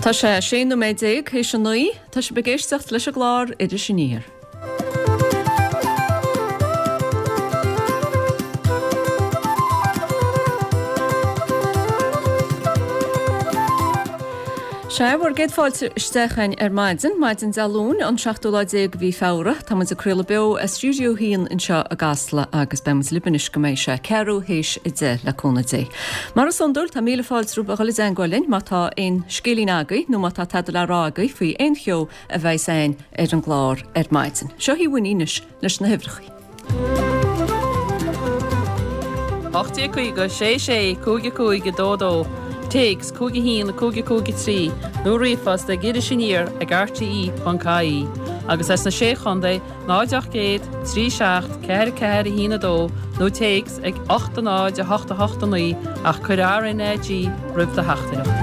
Tá sé 16 nóiméad théis a 9. Tá sibh ag éisteacht leis an gclár Iris Aniar. Sea, bhur gcéad fáilte isteach againn ar maidin, maidin Dé Luain, an seachtú lá déag de mhí Feabhra. Tá muid ag craoladh beo as Stiúideo 1 anseo i gCasla agus beidh muid libh anois go mbeidh sé ceathrú théis a 10 le cúnamh Dé. Mar is iondúil, tá míle fáilte romhaibh a dhul i dteangmháil linn má tá aon scéilín agaibh nó má tá tada le rá agaibh faoi aon cheo a bheas againn ar an gclár ar maidin. Seo í Winnie anois leis na huimhreacha. 1850 6 6 5 5 2 2, Téacs 5 1 5 5 3 nó ríomhphost ag Iris Aniar ag rte.ie agus as na Sé Chontae 0 800 3 7 4 4 1 2 nó téacs ag 8 0 8 8 9 ach cuir RnaG roimh do theachtaireacht.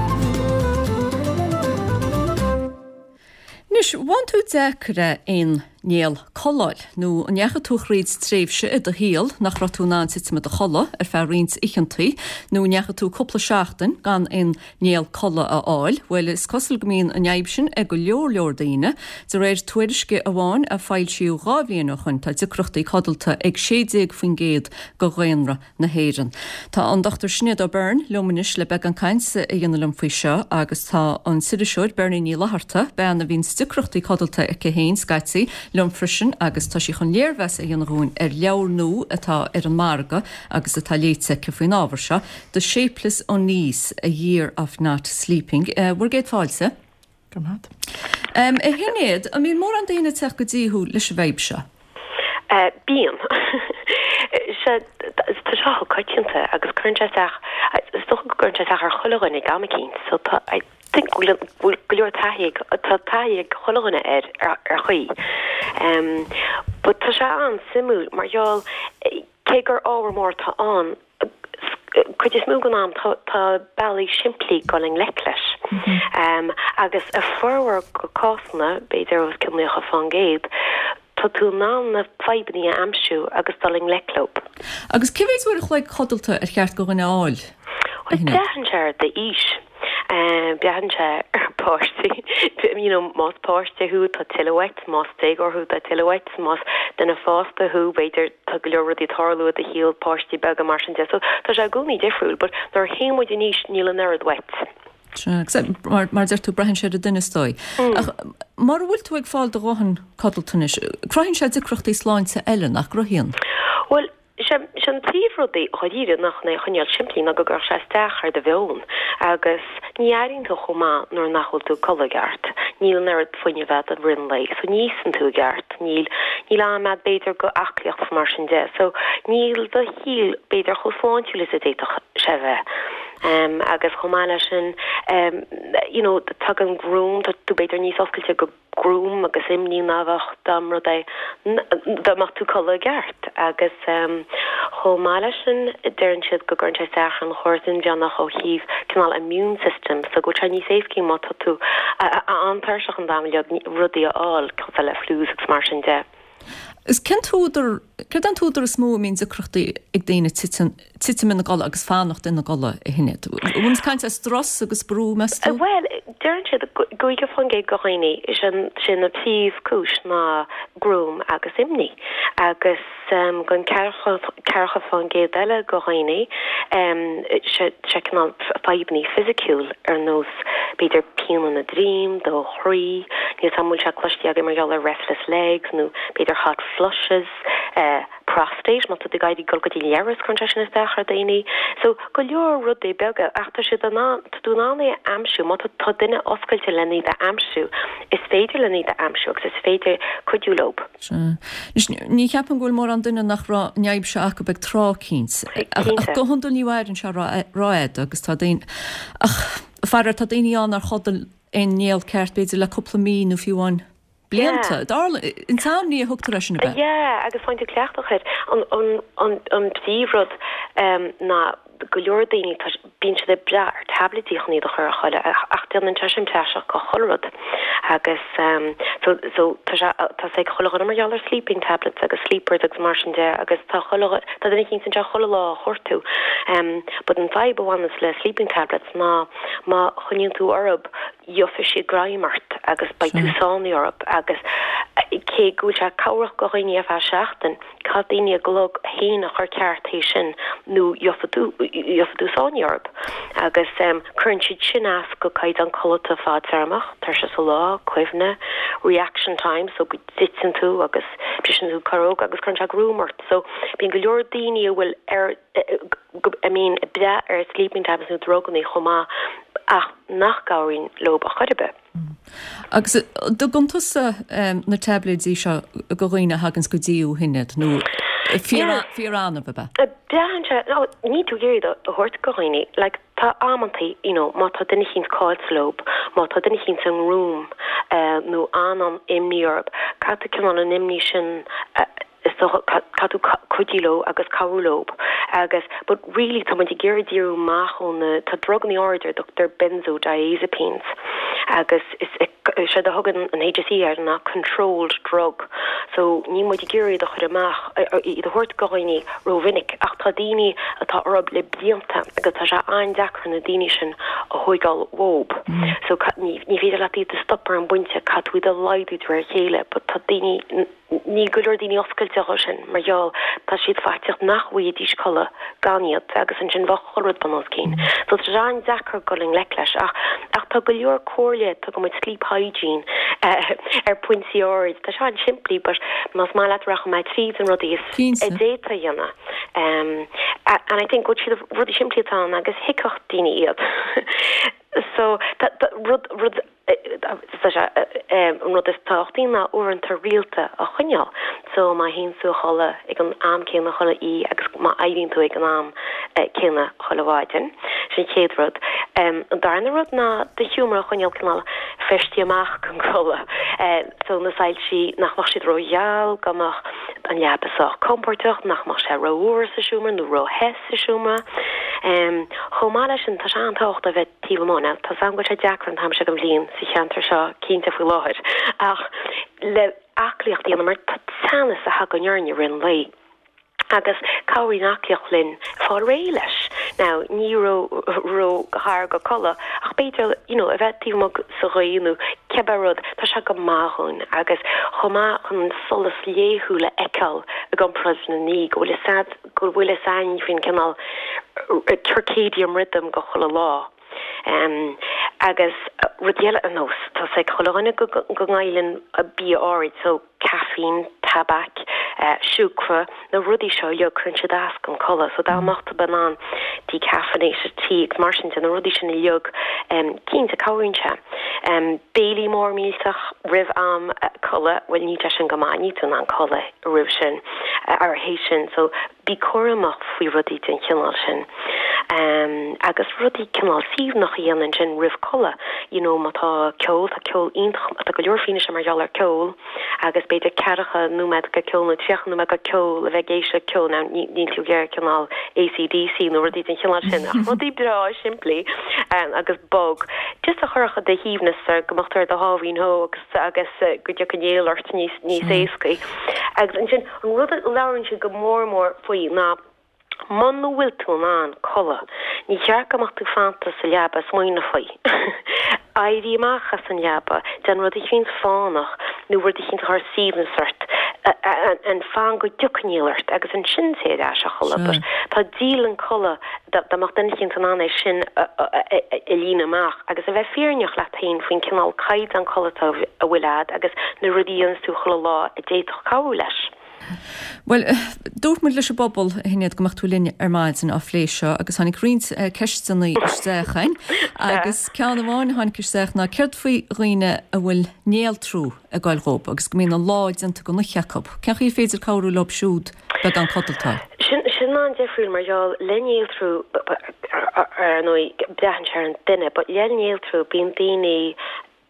Anois, bhfaigheann tú deacair é aon néal codladh a fháil, nó an ndeachaigh tú thríd tréimhse i do shaol nach raibh tú in ann titim i do chodladh ar feadh roinnt oícheantaí, nó an ndeachaigh tú cúpla seachtain gan aon néal codladh a fháil? Bhuel, is cosúil go mbíonn an fhadhb sin ag go leor leor daoine. De réir tuairisce amháin a foilsíodh 2 bhliain ó shoin, tá deacrachtaí codlata ag 16% de dhaonra na hÉireann. Tá an Dr Sinéad O'Beirne liom anois le beagán cainte a dhéanamh liom faoi seo agus tá an t-iriseoir Bernie Ní Fhlatharta, bean a bhíonn deacrachtaí codlata aici féin scaití, liom freisin agus tá sí chun léirmheas a dhéanamh dhúinn ar leabhar nua atá ar an margadh agus atá léite aici faoin ábhar seo, The Shapeless Unease, A Year of Not Sleeping. Bhur gcéad fáilte. Go raibh maith agat. A Shinéad, an mbíonn mórán daoine ag teacht go dtí thú leis an bhfadhb seo? Bíonn. Sea, tá sé chomh coitianta agus cuireann sé isteach, is dócha go gcuireann sé isteach ar chuile dhuine ag am eicínt so tá, I think go bhfuil go leor taithí ag, tá taithí ag chuile dhuine air ar chaoi. But tá sé an-suimiúil mar gheall cé gur ábhar mór atá ann, cuid is mó den am tá bealaí simplí dul i ngleic leis. Agus i formhór de cásanna, b'fhéidir os cionn 90%, tá tú in ann na fadhbanna a aimsiú agus dul i ngleic leo. Agus cé mhéid uair a chloig codlata ar cheart do dhuine a fháil? Bhuel, braitheann sé ar d'aois. Braitheann sé ar pháistí. You know, más páiste thú, tá tuilleadh uait, más déagóir thú, tá tuilleadh uait, más duine fásta thú, b'fhéidir tá go leor rudaí ag tarlú i do shaol, páistí beaga, mar sin de. So, tá sé i gcónaí difriúil, but nuair a théann muid in aois, níl an oiread uait. Sea, agus mar a deir tú, braitheann sé ar an duine is dóigh. Ach mura bhfuil tú ag fáil do dhóthain codlata anois, cruthaíonn sé deacrachtaí sláinte eile, nach gcruthaíonn? Bhuel, Sé an príomhrud é dháiríre ná chun é a choinneáil simplí ná go gcuirfeadh sé isteach ar do mheon agus ní airíonn tú chomh maith nuair nach bhfuil tú ag codladh i gceart. Níl an oiread fuinnimh agat i rith an lae so ní íosann tú i gceart, níl níl am agat b'fhéidir go aclaíocht is mar sin de so níl do shaol b'fhéidir chomh sláintiúil is a d'fhéadfadh sé bheith. Agus chomh maith leis sin you know tagann gruaim, tá tú b'fhéidir níos oscailte go gruaim agus imní ná bheadh dá mba rud é dá mbeadh tú ag codladh i gceart agus chomh maith leis sin deireann siad go gcuireann sé isteach ar an chóras inmheánach ó thaobh cineál immune system so go bhfuil sé níos éascaí má tá tú an-tuirseach an t-am uilig rudaí a fháil cosúil le flus agus mar sin de. Is cén t-údar, céard é an t-údar is mó a mbíonn deacrachtaí ag daoine titim, titim ina gcodladh agus fanacht ina gcodladh, a Shinéad? An bhfuil muid ag caint ar strus agus brú, meas tú? Bhuel, deireann siad 50% de dhaoine, sin, sin an príomhchúis ná gruaim agus imní. Agus don 40% eile de dhaoine, sé, sé cineál fadhbanna fisiciúil ar nós b'fhéidir pian ina droim, do chroí, níl 's a'm an bhfuil sé cloiste agaibh mar gheall ar restless legs nó b'fhéidir hot flushes, prostate, má tá tú ag iarraidh dul go dtí an leithreas cuireann sé sin isteach ar daoine. So go leor rudaí beaga ach tá siad in ann, tá tú in ann é a aimsiú, má tá tá duine oscailte len iad a aimsiú, is féidir len iad a aimsiú agus is féidir cuidiú leo. Sea. Anois, ní cheapaim go bhfuil mórán duine nach raibh an fhadhb seo acu ag tráth eicínt. Ach go hiondúil ní mhaireann sé rófhada agus tá daoine, ach faraor tá daoine ann nár chodail aon néal ceart b'fhéidir le cúpla mí nó fiú amháin blianta. Insomnia a thugtar air sin, ab ea? Yeah, agus faigheann tú cleachtadh air. An, an, an, an príomhrud ná go leor daoine, tá, bíonn siad ag brath ar taibléidí chun iad a chur a chodladh ach déanann sé sin praiseach de chuile rud. Agus so, so tá sé, tá 's ag chuile dhuine mar gheall ar sleeping tablets agus sleepers agus mar sin de agus tá chuile, tá duine eicínt anseo chuile lá á chuartú. But an fadhb a bhaineas le sleeping tablets ná má choinníonn tú orthu. Gheobhaidh siad greim ort agus beidh tú sáinnithe orthu agus cé go bhfuil sé cabhrach go dhaoine ar feadh seachtain, caithfidh daoine a gclog féin a chur ceart théis sin nó gheobhaidh tú, gheobhaidh tú sáinnithe orthu. Agus cuireann siad sin as go caighdeán codlata fadtéarmach, tuirse sa lá, cuimhne, reaction time so go dtiteann tú agus briseann tú corróg agus cuireann sé gruaim ort. So bíonn go leor daoine a bhfuil ar, a mbíonn ag brath ar sleeping tablets nó drugannaí chomh maith ach nach gcabhraíonn leob ar chor ar bith. Agus an dtugann tusa na taibléidí seo go dhaoine a thaganns go dtí thú a Shinéad nó fíor-annamh ab ea? Braitheann sé, no, níl tú ag iarraidh iad a thabhairt go dhaoine, like tá amantaí, you know, má tá duine eicínt caillte leob, má tá duine eicínt i ngruaim nó an-an-imní orthu, caithfidh tú cineál an imní sin a, is dócha, caithfidh tú cuidiú leo agus cabhrú leo agus but really tá muid ag iarraidh díriú amach ó na, tá drugannaí áirid ar a dtugtar benzodiazepines agus is séard a thugann an HSE air ná controlled drug so níl muid ag iarraidh iad a chur amach, iad a thabhairt go dhaoine rómhinic ach tá daoine atá orthu le blianta agus tá sé an-deacair na daoine sin a thóigeáil uathu so ní féidir leat iad a stop ar an bpointe, caithfidh tú iad a laghdú de réir a chéile but tá daoine. Níl go leor daoine oscailte dhó sin mar gheall tá siad faitíoch nach bhfaighidís codladh gan iad agus ansin bheadh chuile rud bun os cionn. So tá sé an-deacair dul i ngleic leis ach ach tá go leor comhairle, tugann muid sleep hygiene ar phointí áirid. Tá sé an-simplí but más maith leat rachaidh mé tríd an rudaí is a d'fhéadfá a dhéanamh. And I think go bhfuil siad rudaí simplí atá ann agus thuigfeadh daoine iad. So tá rud rud An rud is tábhachtaí ná uaireanta rialta a choinneáil. So má théann tú a chodladh ag an am céanna chuile oíche agus má éiríonn tú ag an am céanna chuile mhaidin. Sin an chéad rud. An darna rud ná do sheomra a choinneáil cineál feistithe amach chun codladh. So na soilsí nach mbeadh siad ró-gheal, go mbeadh an leaba sách compordach, nach mbeadh sé rófhuar sa seomra nó róthe sa seomra. Chomh maith leis sin tá sé an-tábhachtach a bheith taobh amuigh. Now, tá 's agam go bhfuil sé deacair an t-am seo den bhliain sa cheantar seo, cinnte faoi láthair, ach le aclaíocht a dhéanamh mar tá teannas a thagann orainn i rith an lae agus cabhraíonn aclaíocht linn fáil réidh leis. Now, ní ró ró ghar go codladh ach b'fhéidir, you know, a bheith taobh amuigh sa ghaoth nó cibé rud, tá sé go maith dhúinn agus chomh maith chun an solas laethúil a fheiceáil i gcomparáid lena ní go bhfuil a fhios go bhfuil fhios a'inn faoin cineál circadian rhythm go chuile lá. Agus rud eile ar nós, tá 's ag chuile dhuine go ngoilleann bia áirid, so caiféin, tabac, siúcra, na rudaí seo uilig, cuireann siad as don codladh. So dá mbeadh tú in ann decaffeinated tea agus mar sin de, na rudaí sin uilig, cinnte cabhraíonn sé. Béilí mór millteach roimh am codladh, bhuel níl sé sin go maith, níl tú in ann codladh roimh sin or théis sin so bí cúramach faoi rudaí den chineál sin. Agus rudaí cineál suaimhneach a dhéanamh ansin roimh codladh, you know má tá ceol, tá ceol iontach, tá go leor fianaise mar gheall ar ceol agus b'fhéidir ceathracha nóiméad go ceol nó 30 nóiméad go ceol a bheith ag éisteacht le ceol, now níl tú ag iarraidh cineál ACDC nó rudaí den chineál sin ach rudaí breá simplí agus bog just a chuirfeadh do shuaimhneas ar go mbeadh tú ar do sháimhín shó agus agus go dtiocfadh an néal ort níos níos éascaí. Agus ansin an rud a labhrann siad go mór mór faoi ná muna bhfuil tú in ann codladh, ní cheart go mbeadh tú fanta sa leaba ag smaoineamh faoi. Éirí amach as an leaba, déan rud eicínt fánach nó rud eicínt a chuir suaimhneas ort, and fan go dtiocfaidh néal ort agus ansin téigh ar ais a chodladh. But tá dialann codladh dá mbeadh duine eicínt in ann é sin a líonadh amach agus a bheith fírinneach leat féin faoin cineál caighdeán codlata a bhfuil a'd agus na rudaí a dhéanas tú chuile lá a d'fhéadfadh cabhrú leis. Bhuel, dúirt muid leis an bpobal, a Shinéad, go mbeadh tú linn ar maidin á phlé seo agus tháinig roinnt ceisteanna isteach chugainn agus ceann amháin a tháinig isteach ná céard faoi dhaoine a bhfuil néaltrú ag goil dhób agus go mbíonn an lá déanta den oíche acu? Cén chaoi ar féidir cabhrú leo siúd beagán codlata? Sin sin an-difriúil mar gheall le néaltrú ar ndóigh braitheann sé ar an duine but le néaltrú bíonn daoine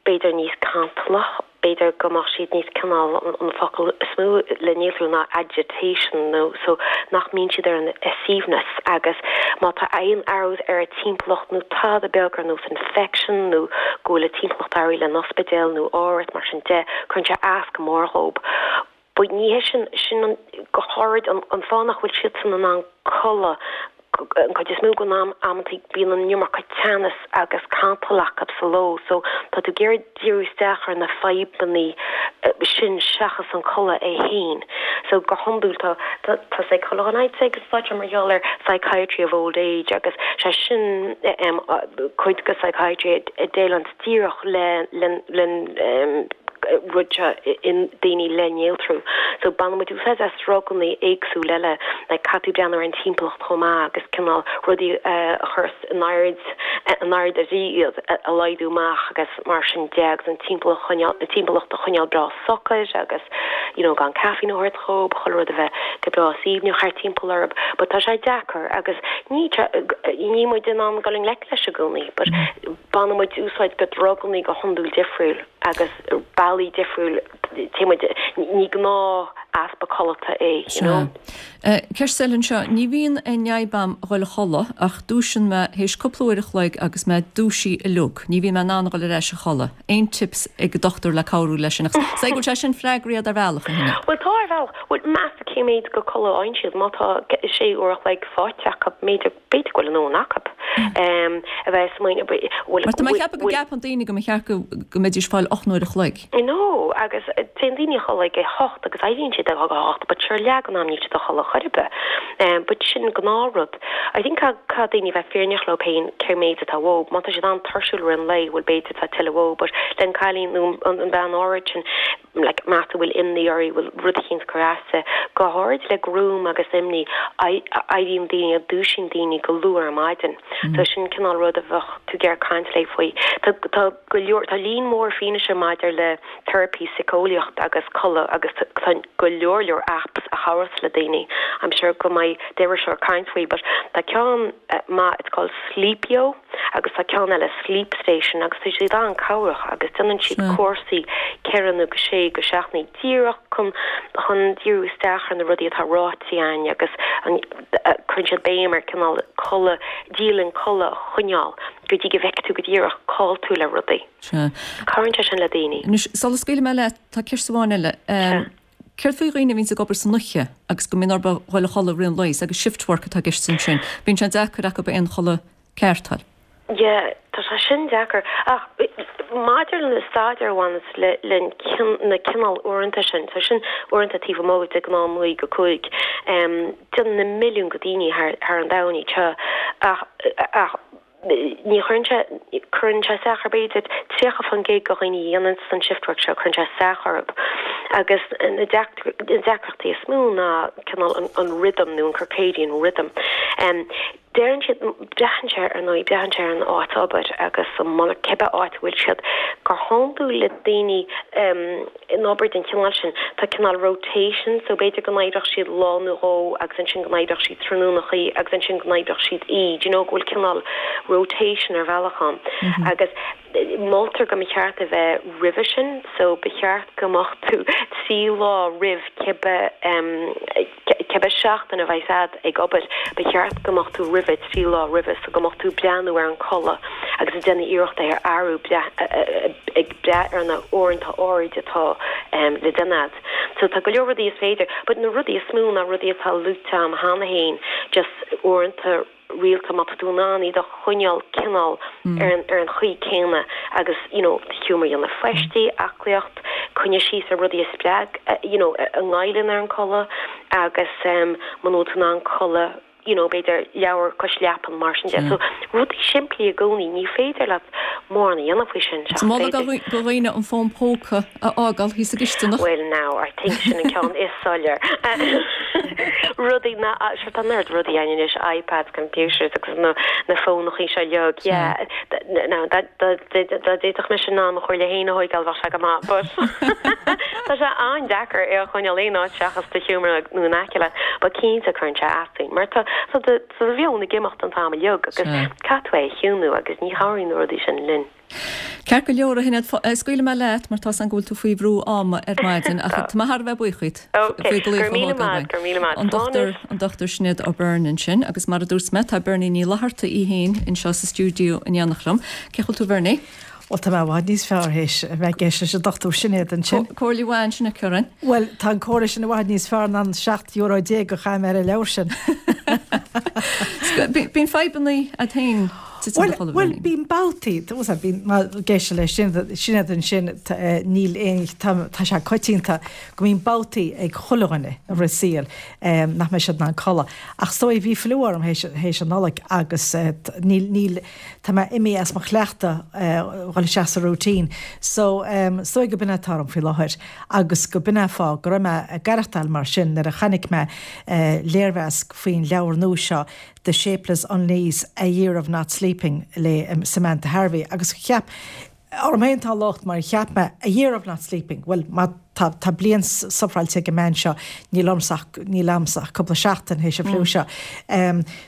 b'fhéidir níos cantalach, b'fhéidir go mbeadh siad níos cineál, an focal is mó le néaltrú ná agitation nó so nach mbíonn siad ar a suaimhneas agus má tá aon athrú ar a timpeallacht nó tada beag ar nós infection nó go bhfuil a timpeallacht athraithe le an ospidéal nó áirid mar sin de, cuireann sé as go mór dhób. But ní hé sin, sin an, go háirid an, an fáth nach bhfuil siadsan in ann codladh. An cuid is mó den am, amantaí bíonn an iomarca teannas agus cantal acu sa ló so tá tú ag iarraidh díriú isteach ar na fadhbannaí sin seachas an codladh é féin. So go hiondúil tá tá tá chuile dhuine ag úsáid mar gheall ar psychiatry of old age agus sé sin cuid de psychiatry a déileann díreach le le le rud seo i ndaoine le néaltrú. So baineann muid úsáid as drugannaí éagsúil eile, like caithfidh tú breathnú ar an timpeallacht chomh maith agus cineál rudaí a chur in aird, in airde iad a laghdú amach agus mar sin de agus an timpeallacht a choinneáil, an timpeallacht a choinneáil breá socair agus you know gan caifín a thabhairt dhób, chuile rud a bheith go breá aoibhneach thart timpeall orthu. But tá sé deacair agus ní, níl muid in ann dul i ngleic leis i gcónaí but baineann muid úsáid de drugannaí go hiondúil difriúil agus bealaí difriúil téann muid, ní gnáth easpa codlata é, you know. Sea. Ceist eile anseo, ní bhíonn aon fhadhb a'm a dhul a chodladh ach dúisíonn mé théis cúpla uair a chloig agus mé dúisithe uilig, ní bhíonn mé in ann a dhul ar ais a chodladh. Aon tips ag an dochtúir le cabhrú leis sin? Agus is dóigh go bhfuil sé sin freagraithe ar bhealach, a Shinéad. Bhuel tá ar bhealach. Bhuel meas tú cé méid go codladh a fhaigheann siad? Má tá sé uair a chloig faighte acu, b'fhéidir B'fhéidir go bhfuil a ndóthain acu a bheith ag smaoineamh, bhfuil, Mar tá mé ag ceapadh go gceapann daoine go mba cheart go mbeidís ag fáil 8 n-uair a chloig. No, agus téann daoine a chodladh ag a hocht agus éiríonn siad ag a hocht but sure leath den am níl siad a chodladh chor ar bith. But sin gnáthrud. I think caithfidh daoine a bheith fírinneach leo féin cé méid atá uathu. Má tá siad an-tuirsiúil i rith an lae, bhuel b'fhéidir tá tuilleadh uathu but len cailín nó an bean áirid sin, like meas tú bhfuil imní uirthi, bhfuil rud eicínt ag cur as di. Go háirid le gruaim agus imní, éiríonn daoine, dúisíonn daoine go luath ar maidin. So sin cineál rud a bheadh tú ag iarraidh caint léi faoi. Tá, tá go leor, tá líon mór fianaise maidir le teiripí síceolaíocht agus codladh agus tá go leor leor apps a chabhras le daoine. I'm sure go mbeidh d'iriseoir ag caint faoi but tá ceann maith, it's called Sleepio. agus tá ceann eile Sleep Station agus tá siad an-cabhrach agus déanann siad cúrsaí 4 nó go 6 go seachtainí díreach chun chun díriú isteach ar na rudaí atá ráite againn agus an cuireann siad béim ar cineál codladh, dialann codladh a choinneáil go dtí go bhfeicfidh tú go díreach cá bhfuil tú le rudaí. Sea. Cabhraíonn sé sin le daoine. Anois, sula scaoilfidh mé leat, tá ceist amháin eile. Sea. Céard faoi dhaoine a bhíonns ag obair san oíche agus go mbíonn orthu a dhul a chodladh i rith an lae agus shift work atá i gceist ansin. Bíonn sé deacair acu aon chodladh ceart a fháil. Yeah, tá sé sin deacair. Ach maidir le na staidéir a bhaineas le le na cineál uaireanta sin, so sin uaireanta taobh amuigh de gnáth 9 go 5, déanann na milliúin go daoine thar thar an domhan iad seo ach ach ní chuireann sé, cuireann sé isteach ar b'fhéidir 30% de dhaoine a dhéanann an shift work seo, cuireann sé isteach orthu. Agus na deacrachtaí is mó ná cineál an rhythm nó an circadian rhythm. Deireann siad, braitheann sé ar ndóigh, braitheann sé ar an áit obair agus an monarcha, cibé áit a bhfuil siad. Go hiondúil le daoine in obair den chineál sin, tá cineál rotation, so b'fhéidir go n-oibreodh siad lá nó dhó agus ansin go n-oibreodh siad tráthnónachaí agus ansin go n-oibreodh siad oíche, do you know, go bhfuil cineál rotation ar bhealach ann. Agus moltar go mba cheart a bheith roimhe sin, so ba cheart go mbeadh tú 3 lá roimh cibé, Cibé seachtain a bheas a'd ag obair, ba cheart go mbeadh tú roimhe, 3 lá roimhe, so go mbeadh tú breathnú ar an codladh agus ag déanamh iarracht é a athrú, ag brath ar na uaireanta áirid atá le déanamh a'd. So tá go leor rudaí is féidir, but na rudaí is mó ná rudaí atá luaite a'm cheana féin, just uaireanta, rialta má tá tú in ann iad a choinneáil cineál ar an ar an chaoi céanna agus you know do sheomra a dhéanamh feistí, aclaíocht, coinnigh síos ar rudaí a spreag you know a ngoilleann ar an codladh agus muna bhfuil tú in ann codladh you know b'fhéidir leabhar cois leapan mar sin de. So rudaí simplí i gcónaí, ní féidir leat mórán a dhéanamh faoi sin seachas Moladh b'fhéidir. do dhaoine an fón póca a fhágáil thíos sa gcisteanach. Well now, I think sin an ceann is soiléir. Rudaí na, sure tá an oiread rudaí ann anois, iPads, computers agus na na fónachaí seo uilig, yeah. Now dá dá dá d'fhéadfadh mise in ann mo chomhairle féin a thóigeáil bheadh sé go maith but tá sé an-deacair é a choinneáil aon áit seachas do sheomra nó in aice leat but cinnte cuireann sé as dúinn mar tá tá do tá do mheon ag imeacht an t-am uilig agus caithfidh tú é a chiúnú agus ní chabhraíonn na rudaí sin linn. Ceart go leor, a Shinéad, scaoilfidh mé leat mar tá's agam go bhfuil tú faoi bhrú ama ar maidin ach tá mé thar a bheith buíoch díot faoi glaoch a thógáil uainn. An Dochtúir, an Dochtúir Sinéad O'Beirne ansin agus mar a dúirt mé tá Bernie Ní Fhlatharta í féin anseo sa stiúideo in éineacht liom. Cén chaoi a bhfuil tú a Bhernie? Bhuel tá mé i bhfad níos fearr théis a bheith ag éisteacht leis an Dochtúir Sinéad ansin. Comhairle mhaith ansin aici orainn. Bhuel tá an comhairle sin i bhfad níos fearr ná an €17 a chaith mé ar an leabhar sin. Bíonn fadhbanna agat féin titim i do chodladh, Bhuel, bíonn babhtaí, bíonn, má ag éisteacht le Sinéad ansin, níl aon, tá sé coitianta go mbíonn babhtaí ag chuile dhuine i rith saoil nach mbeidh siad in ann codladh. Ach is dóigh, bhí fliú orm théis an Nollaig agus níl, níl, tá mé imithe as mo chleachtadh dhul isteach sa routine. So, is dóigh go b'in é atá orm faoi láthair agus go b'in é an fáth go raibh mé ag aireachtáil mar sin nuair a chonaic mé léirmheas faoin leabhar nua seo The Shapeless Unease, A Year of Not Sleeping le Samantha Harvey agus cheap, orm féin atá an locht mar cheap mé A Year of Not Sleeping, bhuel má tá tá bliain sufráilte ag an mbean seo níl ormsa ach níl a'msa ach cúpla seachtain théis an fliú seo.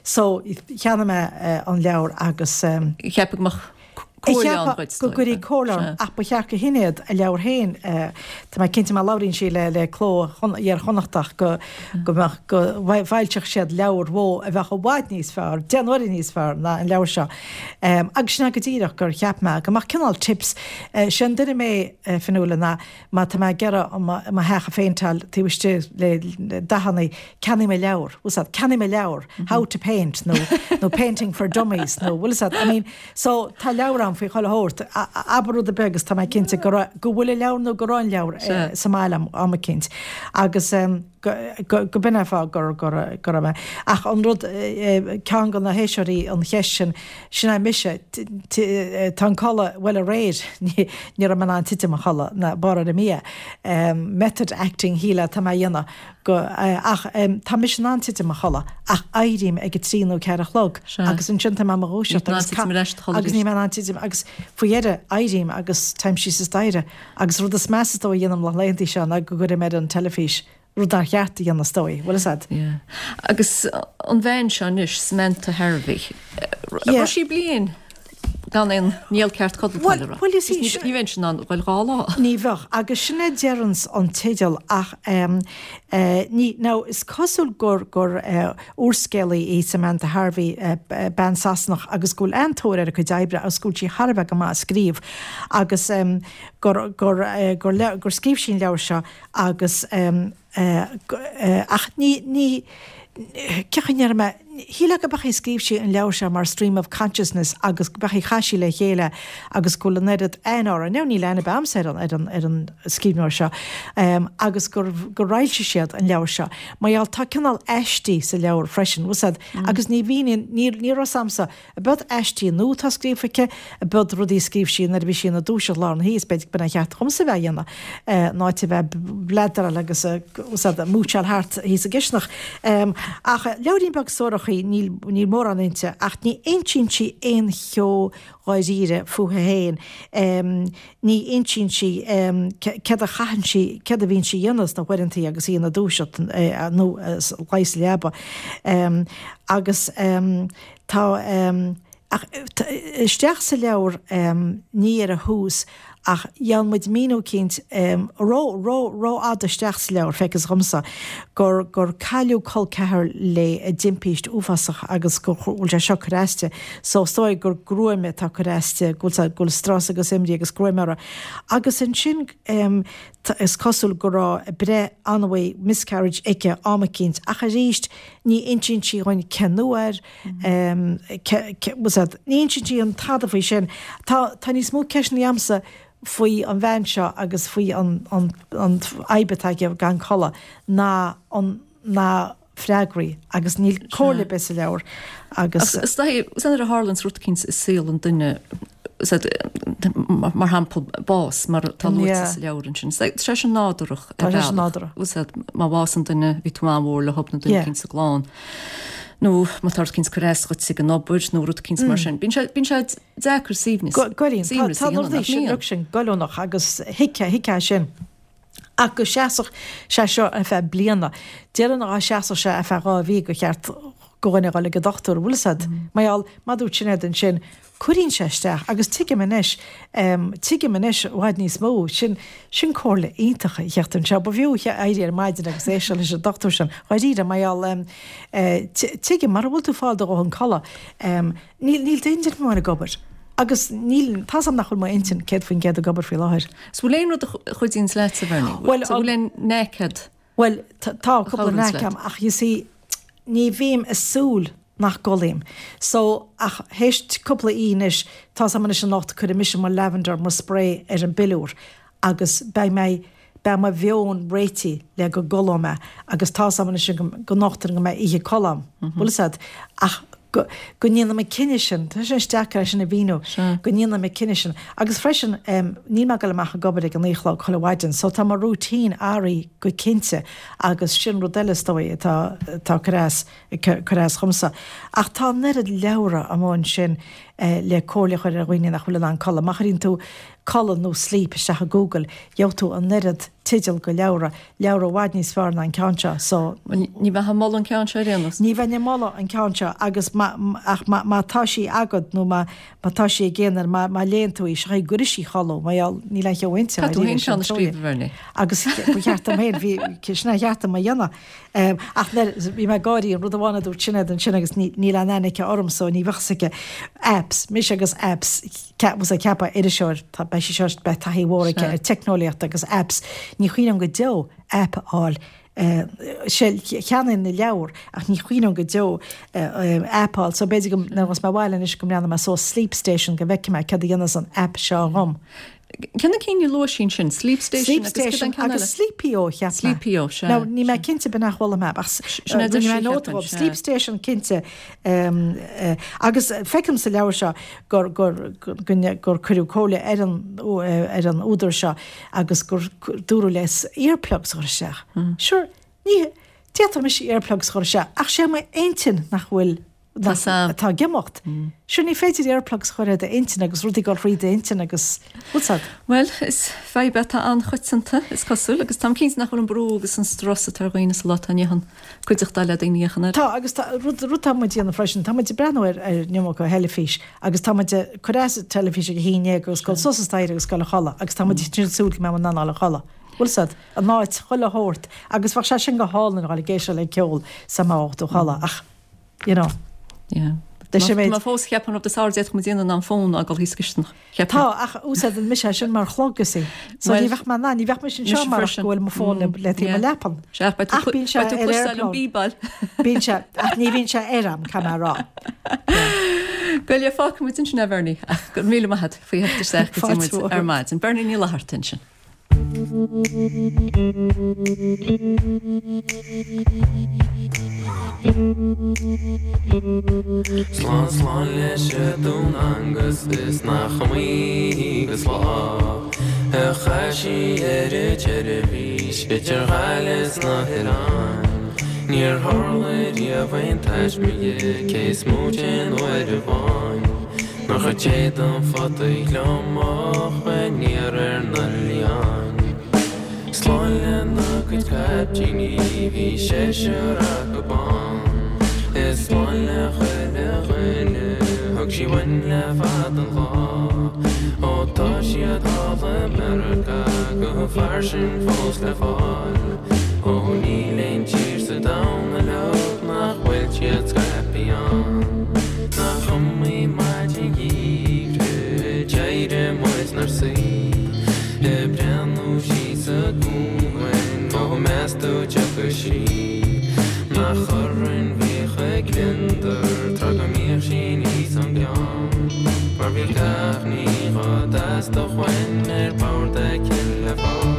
So cheannaigh mé an leabhar agus. Cheap go mbeadh comhairle ann dhuit. Go gcuirfidh comhairle orm ach ba cheart do Shinéad a leabhar féin, tá mé cinnte má labhraíonn sí le le Cló Iar-Chonnachtach go go mbeadh go bhfoilseodh siad leabhar mhó a bheadh i bhfad níos fearr, deich n-uaire níos fearr ná an leabhar seo. Agus sin é go díreach gur cheap mé go mbeadh cineál tips, sé an duine mé, Fionnuala, ná má tá mé ag iarraidh mo theach a phéinteáil taobh istigh le dathanna, ceannaím leabhar, bhfuil 's a'd, ceannaím leabhar, how to paint nó nó painting for dummies nó bhfuil 's a'd, I mean, so tá leabhar ann faoi chuile shórt, abair rud ar bith agus tá mé cinnte go raibh, go bhfuil an leabhar nó go raibh an leabhar sa mbaile am, am eicínt agus go, go, go b'in é an fáth gur, gur, go raibh mé. Ach an rud, ceann de na héisteoirí an cheist sin, sin é mise, tá an codladh, bhuel aréir ní, ní raibh mé in ann titim a chodladh ná barr ar an mbia. Method acting shílfeá atá mé a dhéanamh. Go, ach tá mise in ann titim a chodladh, ach éirím ag a trí nó ceathair a chlog agus ansin tá mé i mo dhúiseacht agus agus níl mé in ann titim agus faoi dheireadh éirím agus téim síos an staighre agus rud is measa is dóigh a dhéanaim na laethanta seo ná go gcuirim ar an teilifís, rud nár cheart a dhéanamh is dóigh, bhfuil fhios a'd? Yeah. Agus an bhean seo anois, Samantha Harvey, raibh sí bliain gan aon néal ceart codlata le rá. Bhuel, you see, Ní bheinnse in ann dul 2 lá. Ní bheadh, agus sin a deireanns an teideal ach ní, now is cosúil gur, gur úrscéalaí í Samantha Harvey, bean Sasanach agus go bhfuil an-tóir ar a cuid oibre agus go bhfuil sí thar a bheith go maith ag scríobh agus gur, gur, gur, gur scríobh sí an leabhar seo agus Ach ní, ní, cén chaoi a ndéarfaidh mé, shílfeá go b'é a scríobh sí an leabhar seo mar stream of consciousness agus go b'é a chaith sí le chéile agus go bhfuil an oiread aithne orthu, now níl aithne ar bith a'msa ar an, ar an, ar an scríbhneoir seo, agus gur, gur fhoilsigh siad an leabhar seo. Mar gheall, tá cineál aistí sa leabhar freisin, bhfuil 's a'd, agus ní mhíníonn, ní, ní raibh 's a'msa Ab iad aistí nua atá scríofa aici, ab iad rudaí a scríobh sí nuair a bhí sí ina dúiseacht lár na hoíche, is b'fhéidir go b'in a cheart dhomsa a bheith a dhéanamh, in áit a bheith ag bleadaráil agus ag múitseáil thart thíos sa gcisteanach. Ach leabhairín beag suarach í, níl níl mórán inti, ach ní insíonn sí aon cheo dháiríre fúithi féin. Ní insíonn sí céard a chaitheann sí, céard a bhíonn sí a dhéanamh sna huaireantaí agus í ina dúiseacht nó luí sa leaba. Agus. Tá, ach isteach sa leabhar, ní ar a thús, ach gheobhann muid míniú eicínt, ró, ró, rófhada isteach sa leabhar, feictear dhomsa, gur, gur cailleadh col ceathar léi i dtimpíst uafásach agus go bhfuil sé seo ag cur aisti. So, is dóigh gur gruaim atá ag cur aisti, go bhfuil, go bhfuil strus agus imní agus gruaim uirthi. Agus ansin, is cosúil go raibh breith an-mhaith, miscarriage, aici am eicínt, ach arís, Ní insíonn sí dhúinn cén uair, ní insíonn sí aon tada faoi sin. Tá tá níos mó ceisteanna a'msa faoi an bhean seo agus faoi an an an fhadhb atá aici gan codladh ná an ná freagraí agus níl comhairle ar bith sa leabhar agus. Is dóigh, nuair a tharlaíonn rud eicínt i saol an duine, mar shampla bás, mar atá luaite sa leabhar ansin. Tá sé sin nádúrach ar bhealach. Tá sé sin nádúrach. Má bhásaíonn duine, bhí tú an-mhór le nó duine eicínt sa gclann. Nó má tá rud eicínt ag cur as dhuit ag an obair nó rud eicínt mar sin. Bíonn sé, bíonn sé deacair suaimhneas, Goiríonn. Tá na rudaí sin, rud sin goilliúnach agus thuigfeá, thuigfeá sin. Ach go seasfadh sé seo ar feadh bliana. Déarfainn dhá seasfadh sé ar feadh 2 mhí gur cheart do dhuine dhul ag an dochtúir, bhfuil 'fhios a'd. Mar gheall, mar dúirt Sinéad ansin, cuireann sé isteach agus tuigim anois, tuigim anois i bhfad níos mó, sin, sin comhairle iontach a theacht anseo. Ba bhfiú éirí ar maidin agus éisteacht leis an dochtúir sin, dháiríre, mar gheall, tuigim, mara bhfuil tú ag fáil do dhóthain codladh, níl, níl d'intinn amháin ag obair agus níl, tá's a'm nach bhfuil m'intinn 100% ag obair faoi láthair. 'S bhfuil aon rud a chuidíonns leat, a Bhernie? Bhuel, bhfuil aon knack a'd? Bhuel, tá cúpla knack a'm ach you see. ní bhím ag súil nach gcodlaím. So, ach théis cúpla oíche anois, tá's a'm anois anocht, cuirfidh mise mo lavender, mo spray ar an bpiliúr agus beidh mé, beidh mo mheon réitithe le go gcodlóidh mé agus tá's a'm anois go nocht go mbeidh oíche codladh a'm. Bhfuil 'fhios a'd? Ach go, go ndéanaim an cinneadh sin, tá sé deacair é sin a mhíniú, go ndéanaim an cinneadh sin. Agus freisin, níl mé ag dul amach ag obair ag a naoi a chlog chuile mhaidin, so tá mo routine athraithe go cinnte agus sin rud eile is dóigh atá, atá ag cur as, ag cur as dhomsa. Ach tá an oiread leabhra amuigh ansin le comhairle a chur ar dhaoine nach bhfuil in ann codladh. Má chuireann tú codladh nó sleep isteach i Google, gheobhaidh tú an oiread teideal go leabhra, leabhra i bhfad níos fearr ná an ceann seo, so. Bhuel, ní bheifeá ag moladh an ceann seo ar aon nós. Ní bheinn ag moladh an ceann seo agus má, ach má, má tá sí agat nó má, má tá sí ag aon duine, má, má léann tú í, seo í go gcuirfidh sí a chodladh, mar gheall, níl aon cheo inti, Tá tú féin ceann a scríobh, a Bhernie. Agus ba cheart dom féin, bhí, sin é a cheart dom a dhéanamh. Ach nuair, bhí mé ag gáirí, an rud amháin a dúirt Sinéad ansin agus níl aon aithne aici orm so ní bheadh 'fhios aici, apps, mise agus apps, bhfuil 'fhios a'd, ceapfá iriseoir, tá, beidh sí seo, beidh taithí mhór aici ar teicneolaíocht agus apps, ní chuimhneoinn go deo app a fháil, sé, cheannaím na leabhair ach ní chuimhneoinn go deo app a fháil so b'fhéidir go, nuair a ghabhfas mé abhaile anois go mbreathnóidh mé suas Sleep Station go bhfeicfidh mé céard a dhéanas an app seo dhom. Cé na cinn a luaigh sí ansin? Sleep Station Sleep agus cad é an ceann eile? Agus Sleepio, cheap mé. Sleepio, sea. Now, níl mé cinnte b'in nach bhfuil mé, ach Sin é rinne mé nóta dhóibh. Sleep Station, cinnte. Agus feicim sa leabhar seo gur, gur, gur cuireadh comhairle ar an, ar an údar seo agus gur dúradh leis earplugs a chur isteach. Sure, ní, d'fhéadfadh mise earplugs a chur isteach ach sé m'intinn nach bhfuil atá ag imeacht. Sure ní féidir earplugs a chur ar d'intinn agus rudaí ag dul thríd d'intinn agus bhfuil 's a'd. Bhuel, is fadhb é atá an-choitianta, is cosúil, agus táim cinnte nach bhfuil an brú agus an strus atá ar dhaoine sa lá atá inniu ann cuideachtáil le daoine a fhéachann air. Tá, agus tá, rud, rud atá muid a dhéanamh freisin, tá muid ag breathnú ar, ar an iomarca theilifís agus tá muid ag cur as an teilifís ag a haon dhéag agus dul suas an staighre agus dul a chodladh agus tá muid ag súil go mbeidh muid in ann dul a chodladh. Bhfuil 's a'd, an áit, chuile shórt agus bheadh sé sin go hálainn a dhul ag éisteacht le ceol sa mbeadh tú a chodladh ach you know. Yeah. Leis an méid. Tá mé fós ag ceapadh an rud is fearr a d'fhéadfadh muid a dhéanamh ná an fón a fhágáil thíos sa gcisteanach. Cheapfainn. Tá, ach úsáideann mise é sin mar chlog, you see. So ní bheadh mé in ann, ní bheadh mise anseo marach go bhfuil mo fón le taobh mo leapan. Sea, ach beidh tú beidh tú cloisteáil an bíbeáil. Bíonn sé, ach ní bhíonn sé ar am, caithfidh mé a rá. Gabh i leith, fágfaidh muid ansin é, Bernie, ach go raibh míle maith agat faoi theacht isteach go dtí muid ar maidin. Bernie Ní Fhlatharta ansin. Slán slán leis a Dún Angus is nach iomaí agus lá a chaith sí ar an tseirbhís idir Ghaillimh 's na hoileáin. Níor tharla riamh aon taisme di cé is móite aon uair amháin. Nár chuir sé don phota gliomach aniar ar na liáin. Slán lena cuid caiptíní bhí seisear acu ann. Is slán le chuile dhuine thug sí uainn le fada an lá. Ó tá siad thall i Meiriceá go fairsing fós le fáil. Ó níl aon tír sa domhan uileag nach bhfuil siad scaipthe ann. Nach iomaí maidin gheimhridh a d'éirigh muid 'nár suí Ag breathnú síos an cuan, ó meas tú dtiocfadh sí Nach orainn bhíodh a gliondar tráth go mbíodh sí aníos ón gceann Mar bhí gach ní dhá dteastódh uainn ar bord aici le fáil.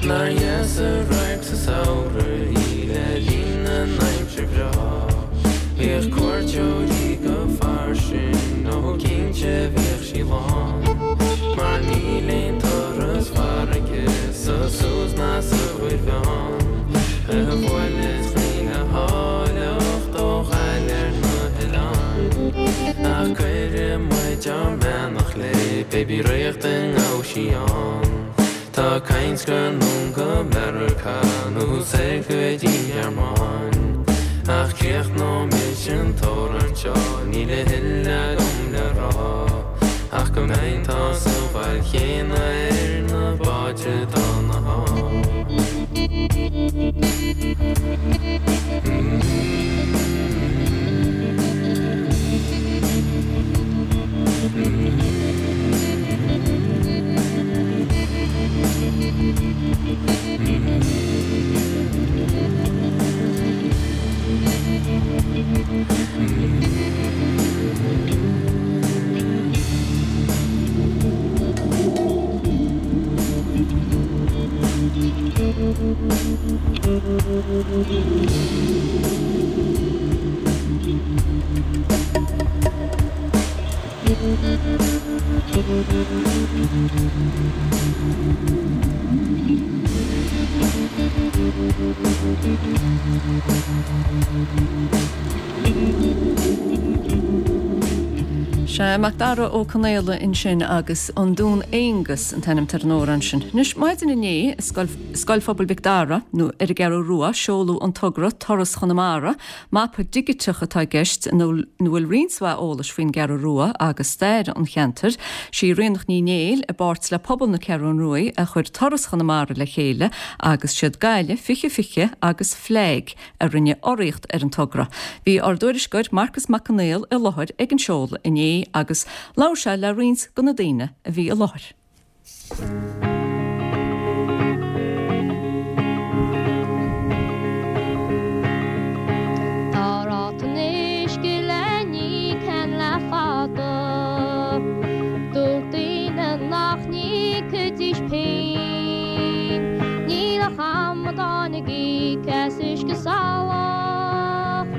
Nár dheas an radharc sa samhradh í le linn na n-aimsir bhreá. Bhíodh cuairteoirí go fairsing, ó cinnte bhíodh sí lán. Mar níl aon turas farraige sa Suas ná sa Mhuir Mheán a bhuaileas le háilleacht ó Ghaillimh ar na hoileáin. Ach cuireadh muid ár mbeannacht léi pé bí ríocht a ngabh sí ann. Tá caint gur anonn go Meiriceá nó soir go dtí an Ghearmáin. Ach críochnóidh mise. bhail chéanna ar na báid atá 'na Sea, Macdara Ó Conaola ansin agus An Dún Aonghus an t-ainm atá ar an amhrán sin. Anois, maidin inné i Scoil Scoil Phobail Mhic Dara, nó ar an gCeathrú Rua, seoladh an togra Turas Chonamara, Mapa digiteach atá i gceist ina bhfuil roinnt mhaith eolais faoin gCeathrú Rua agus stair an cheantair. Sí Ríonach Ní Néill, i bpáirt le pobal na Ceathrún Ruaidh, a chuir Turas Chonamara le chéile agus siad Gaillimh 2020 agus FLAG a rinne urraíocht ar an togra. Bhí ár dtuairisceoir Marcas Mac Conghail i láthair ag an seoladh inné agus labhair sé le roinnt de na daoine a bhí i láthair. Tá ráta an uisce le n-íoc ann le fada. Dúirt daoine nach n-íocfaidís pingin. Níl ach amadáin ag íoc as uisce salach,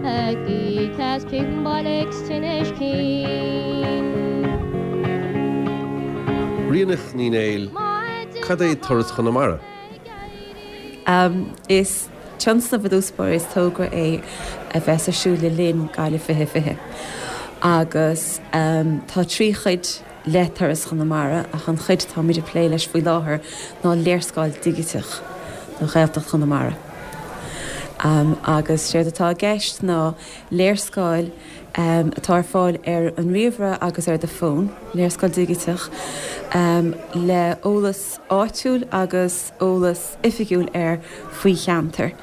ag íoc as pian baile 's tinnis cinn. Ríonach Ní Néill, Cad é Turas Chonamara? Is tionscnamh i dtús báire, is togra é a bheas ar siúl le linn Gaillimh 2020 agus tá 3 chuid le Turas Chonamara ach an chuid atáimid ag plé leis faoi láthair ná léarscáil dhigiteach do Ghaeltacht Chonamara. Agus séard atá i gceist ná léarscáil atá ar fáil ar an ríomhaire agus ar do fón, léarscáil dhigiteach le eolas áitiúil agus eolas oifigiúil air faoi cheantar.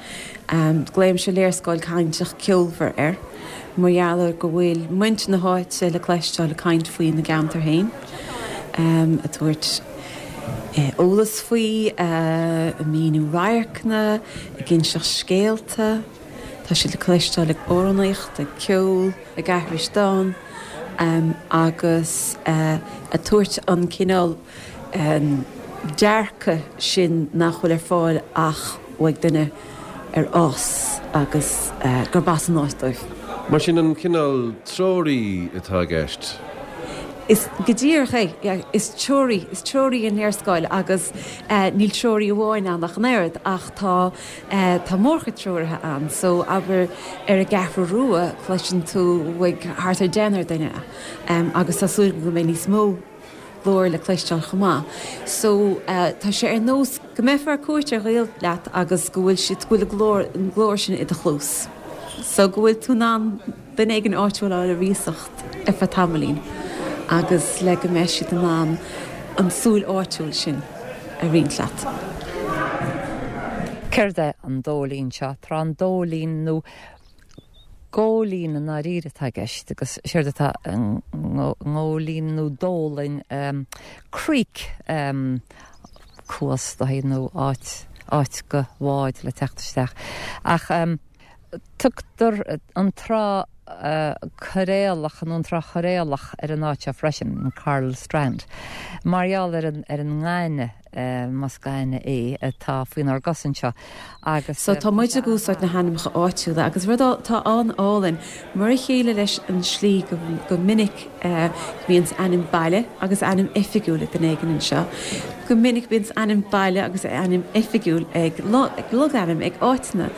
Glaoimse léarscáil cainteach ceolmhar air mar gheall ar go bhfuil muintir na háite le cloisteáil ag caint faoina gceantar féin, ag tabhairt eolas faoi, ag míniú radharcanna, ag inseacht scéalta. Tá siad le cloisteáil ag amhránaíocht, ag ceol, ag aithris dán agus ag tabhairt an cineál dearcadh sin nach bhfuil ar fáil ach uaidh duine ar fhás agus gurb as an áit dóibh. Mar sin an cineál treoraí atá i gceist? Is go díreach é, yeah. Is treoraí, is treoraí an léarscáil agus níl treoraí amháin ann ach an oiread ach tá Tá mórchuid treoraithe ann so abair ar an gCeathrú Rua cloiseann tú uaidh thart ar deichniúr duine agus tá súil agam go mbeidh níos mó glór le cloisteáil chomh maith. So tá sé ar nós go mbeifeá ar cuairt ar ghaol leat agus go bhfuil siad, go bhfuil a glór, an glór sin i do chluas. So go bhfuil tú in ann duine éigin áitiúil a fháil ar iasacht ar feadh tamaillín agus le go mbeidh siad in ann an tsúil áitiúil sin a roinnt leat. Céard é an Dóilín seo? Trá an Dóilín nó Góilín i ndáiríre atá i gceist agus séard atá i ngóilín nó dólainn creek cuas dóigh nó áit áit do bháid le teacht isteach ach Tugtar an Trá Choiréalach nó an Trá Choiréalach ar an áit seo freisin, an Coral Strand, mar gheall ar an ar an ngaineamh, más gaineamh é, atá faoinár gcosa anseo agus. So tá muid ag úsáid na hainmneacha áitiúla agus rud atá an-álainn, mar a chéile leis an slí go go minic go mbíonns ainm baile agus ainm oifigiúil ag duine éigin anseo, go minic bíonns ainm baile agus ainm oifigiúil ag logainm, ag áiteanna.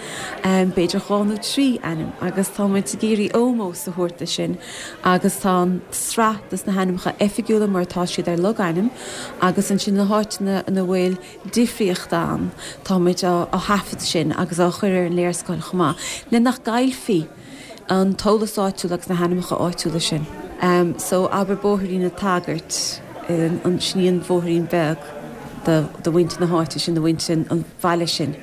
b'fhéidir 2 nó 3 ainm agus tá muid ag iarraidh ómós a thabhairt do sin agus tá an sraith dos na hainmneacha oifigiúla mar atá siad ar logainm agus ansin na háiteanna ina bhfuil difríocht ann tá muid á thaifead sin agus á chur ar an léarscáil chomh maith le nach gcaillfí an t-eolas áitiúil agus na hainmneacha áitiúla sin. So abair Bóithrín an tSagairt. Sin í an bhóithrín beag do mhuintir na háite sin, do mhuintir an bhaile sin.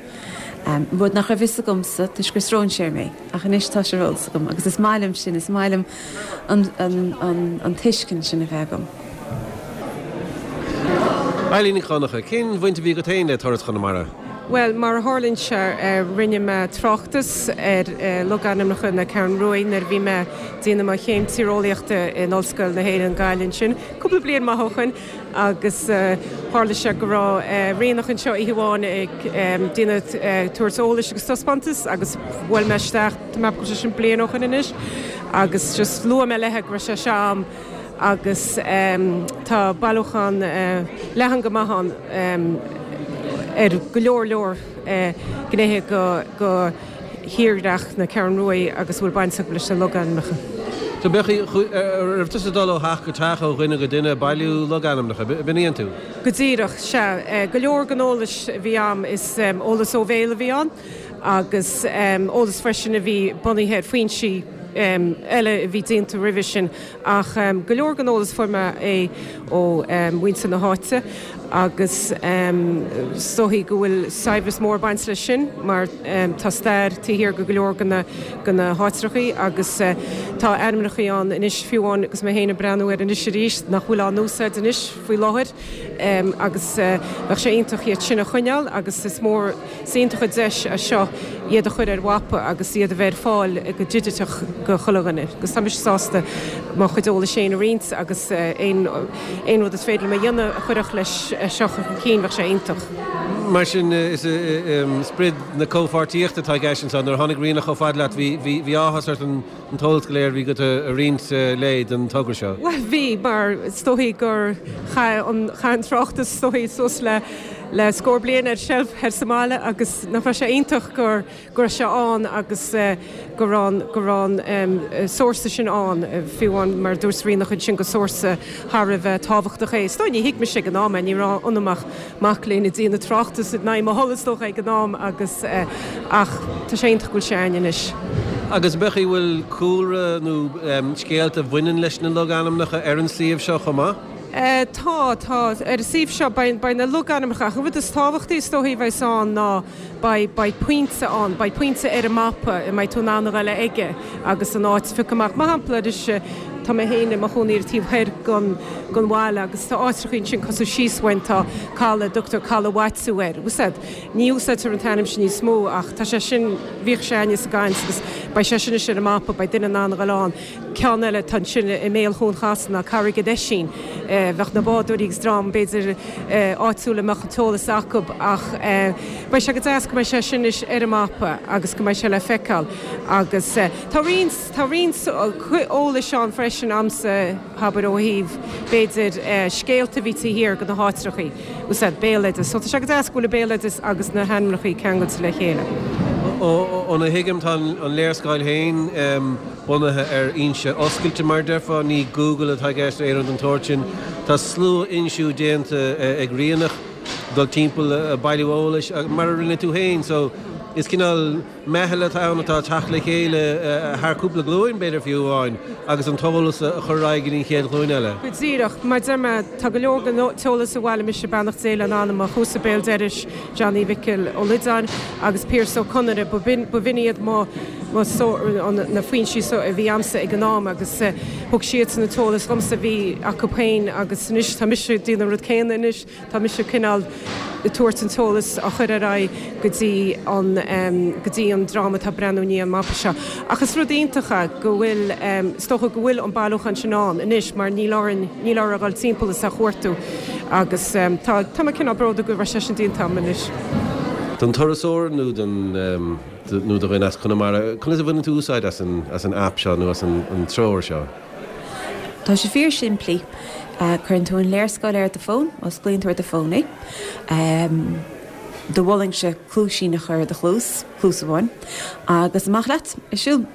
Rud nach raibh fhios agamsa toisc gur stróinséir mé, ach anois tá sé ar eolas agam agus is maith liom sin, is maith liom an tuiscint sin a bheith agam. Eilín Nic Dhonncha, cén bhaint a bhí agat féin le Turas Chonamara? Bhuel, mar a tharlaíonn sé, rinne mé tráchtas ar logainmneacha na Ceathrún Ruaidh nuair a bhí mé ag déanamh mo chéim tíreolaíochta in Ollscoil na hÉireann, Gaillimh ansin, cúpla bliain maith ó shoin agus tharla sé go raibh Ríonach anseo oíche amháin ag déanamh tabhairt eolais agus taispeántas agus bhuail mé isteach, tá mé ag ceapadh go bhfuil sé sin bliain ó shoin anois, agus just luaigh mé léithe go raibh sé seo a'm agus tá bailiúchán leathan go maith ann ar go leor leor gnéithe de thírdhreach na Ceathrún Ruaidh agus a bhfuil baint acu leis na logainmneacha. So bheadh, raibh tusa ag dul ó theach go teach, ó dhuine go duine, ag bailiú logainmneacha, b'in a dhein tú? Go díreach, sea. Go leor den eolas a bhí a'm is eolas ó bhéal a bhí ann agus eolas freisin a bhí bunaithe ar foinsí eile a bhí déanta roimhe sin Ach go leor den eolas fuair mé é ó mhuintir na háite agus is dóichí go bhfuil saibhreas mór ag baint leis sin mar tá stair taobh thiar de go leor de na háitreachaí agus tá ainmneachaí ann anois fiú amháin agus mé féin ag breathnú air anois arís nach bhfuil á n-úsáid anois faoi láthair agus bheadh sé iontach iad sin a choinneáil agus is mór Is iontach an deis é seo iad a chur ar mhapa agus iad a bheith ar fáil go digiteach go chuile dhuine. Agus tá mise sásta mo chuid eolais féin a roinnt agus aon aon rud is féidir liom a dhéanamh a chuirfeadh leis seo chun cinn, bheadh sé iontach. Mar sin, is sprid na comhpháirtíochta atá i gceist anseo. Nuair a tháinig Ríonach chomh fada leat, bhí áthas ort an an t-eolas go léir a bhí agat a roinnt léi don togra seo. Bhuel, bhí, mar is dóichí gur chaith an, chaith an tráchtas is dóichí suas le, le scór bliain ar seilf thoir sa mbaile agus nach raibh sé iontach gur, go raibh sé ann agus go raibh an, go raibh an sórsa sin ann, fiú amháin mar a dúirt Ríonach ansin gur sórsa thar a bheith tábhachtach é. Is dóigh ní thuig mise ag an am é, ní raibh ionam ach mac léinn ag déanamh tráchtas in aghaidh mo thola is dócha ag an am agus ach tá sé iontach go bhfuil sé againn anois. Agus bheadh, bhfuil cúlra nó scéalta a bhaineann leis na logainmneacha ar an suíomh seo chomh maith? Tá, tá. Ar an suíomh seo beidh, beidh na logainmneacha ach an rud is tábhachtaí is dóichí a bheas ann ná beidh, beidh pointe ann, beidh pointe ar an mapa a mbeidh tú in ann a ghoil aige agus an áit a phiocadh amach. Mar shampla anois tá mé féin i mo chónaí ar an taobh thoir den, den bhaile agus tá áitreachaí ansin cosúil síos uainn tá caladh a dtugtar Caladh Mhaitiú air. Úsáid. Ní úsáidtear an t-ainm sin níos mó ach tá sé sin, bhíodh sé againne sa gcaint agus beidh sé sin anois ar an mapa, beidh duine in ann a ghoil ann. Ceann eile atá ansin i mbéal Chuan Chasain ná Carraig an Oisín. Bheadh na bádóirí agus dream b'fhéidir áitiúil a mbeadh an t-eolas acu ach beidh sé go deas go mbeidh sé sin anois ar an mapa agus go mbeidh sé le feiceáil agus tá roinnt, tá roinnt eolais ann freisin a'msa, abair ó thaobh b'fhéidir scéalta a bhí taobh thiar de na háitreachaí, úsáid béaloideas. So tá sé go deas go bhfuil an béaloideas agus na hainmneachaí ceangailte le chéile. Óna thuigim tá an léarscáil féin bunaithe ar fhoinse oscailte mar a déarfá, ní Google atá i gceist nó aon rud den tsórt sin. Tá sluafhoinsiú déanta ag Ríonach, dul timpeall ag bailiú eolais, mar a rinne tú féin. So is cineál. Meitheal atá ann atá ag teacht le chéile thar cúpla glúin, b'fhéidir fiú amháin, agus an t-eolas a chur ar aghaidh go dtí an chéad ghlúin eile. Go díreach. Mar a deir mé, tá go leor den t-eolas a bhailigh mise, beannacht Dé lena anam, mo chuasa béal dorais, Johnny Mhicil Ó Loideáin agus Pearse Ó Conaire, b'in iad mo, na foinsí so a bhí a'msa ag an am agus thug siadsan an t-eolas dhomsa a bhí acu féin agus anois tá mise ag déanamh an rud céanna anois. Tá mise cineál ag tabhairt an t-eolas á chur ar aghaidh go dtí an go dtí an dream atá ag breathnú i ndiaidh an mapa seo. Ach is rud iontach é go bhfuil is dócha go bhfuil an bailiúchán sin ann anois mar níl orainn níl orainn a dhul timpeall is á chuartú agus tá tá mé cineál bródúil go raibh sé sin déanta agam anois. Don turasóir nó don nó do dhuine as Conamara, conas a bhaineann tú úsáid as an as an aip seo nó as an an treoir seo? Tá sé fíor simplí. Cuireann tú an léarscáil ar do fón, osclaíonn tú ar do fón é. Do mholfainnse cluaisín a chur i do chluas, cluas amháin, agus amach leat ag siúl.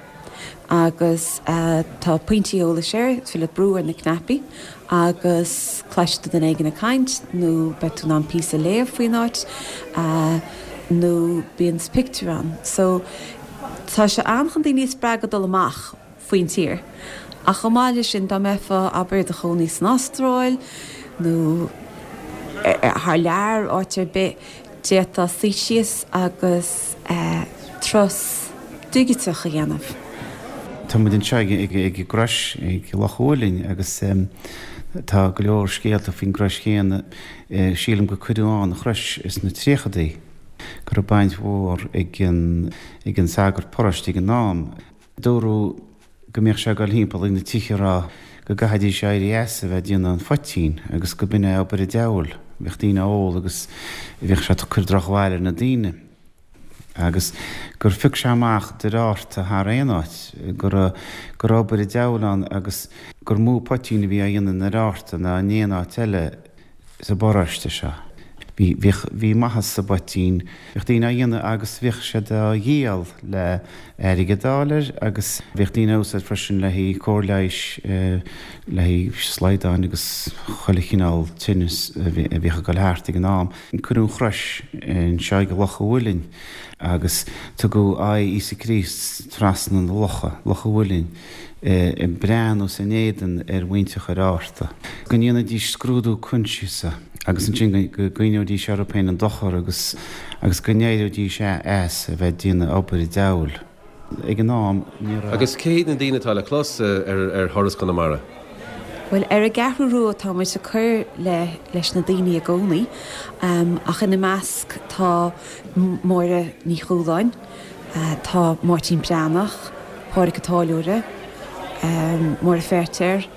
Agus tá pointí eolais air, is féidir leat brú ar na cnaipí agus cloisfidh tú duine éigin ag caint nó beidh tú in ann píosa a léamh faoin áit nó bíonn pictiúr ann. So tá sé ann chun daoine a spreagadh dul amach. faoin tír. Ach chomh maith leis sin, dá mbeifeá, abair, i do chónaí san Astráil. nó thar lear, áit ar bith, d'fhéadfá suí síos agus turas digiteach a dhéanamh. Tá muid anseo ag an gcrois ag Loch an Mhuilinn agus tá go leor scéalta faoin gcrois chéanna. Sílim gur cuireadh ann an chrois sna tríochadaí, go raibh baint mhór ag an sagart paróiste ag an am. Dúradh go mbíodh sé ag dul thimpeall ag na tithe ag rá go gcaithfidís éirí as a bheith ag déanamh an phoitín agus go b'in é obair an diabhail. Bhíodh daoine á ól agus bhíodh sé ag cur drochbhail ar na daoine. Agus gur phioc sé amach Doire Fhearta thar aon áit, go raibh go raibh obair an diabhail ann agus gur mó poitín a bhí á dhéanamh i nDoire Fhearta ná in aon áit eile. sa bparóiste seo. Bhí, bhíodh, bhí maitheas sa bpoitín, bhíodh daoine á dhéanamh agus bhíodh siad á dhíol le airgead a fháil air agus bhíodh daoine á úsáid freisin le haghaidh cóir leighis, le haghaidh slaghdáin agus chuile chineál tinneas a bhíodh ag dul thart ag an am. Cuireadh an chrois anseo ag Loch an Mhuilinn agus tugadh aghaidh Íosa Críost trasna na locha, Loch an Mhuilinn. ag breathnú san éadan ar mhuintir Dhoire Fhearta, go ndéanfaidís scrúdú coinsiasa agus ansin go gcuimhneoidís orthu féin an dochar agus agus go n-éireoidís as a bheith ag déanamh obair an diabhail. Ag an am, ní raibh. Agus cé hiad na daoine atá le clos ar Thuras Chonamara? Bhuel, ar an gCeathrú Rua tá muid ag cur le leis na daoine i gcónaí, ach ina measc tá Máire Ní Chualáin, Tá Máirtín Breathnach, Pádraic an Táilliúra, Máire Feirtéar,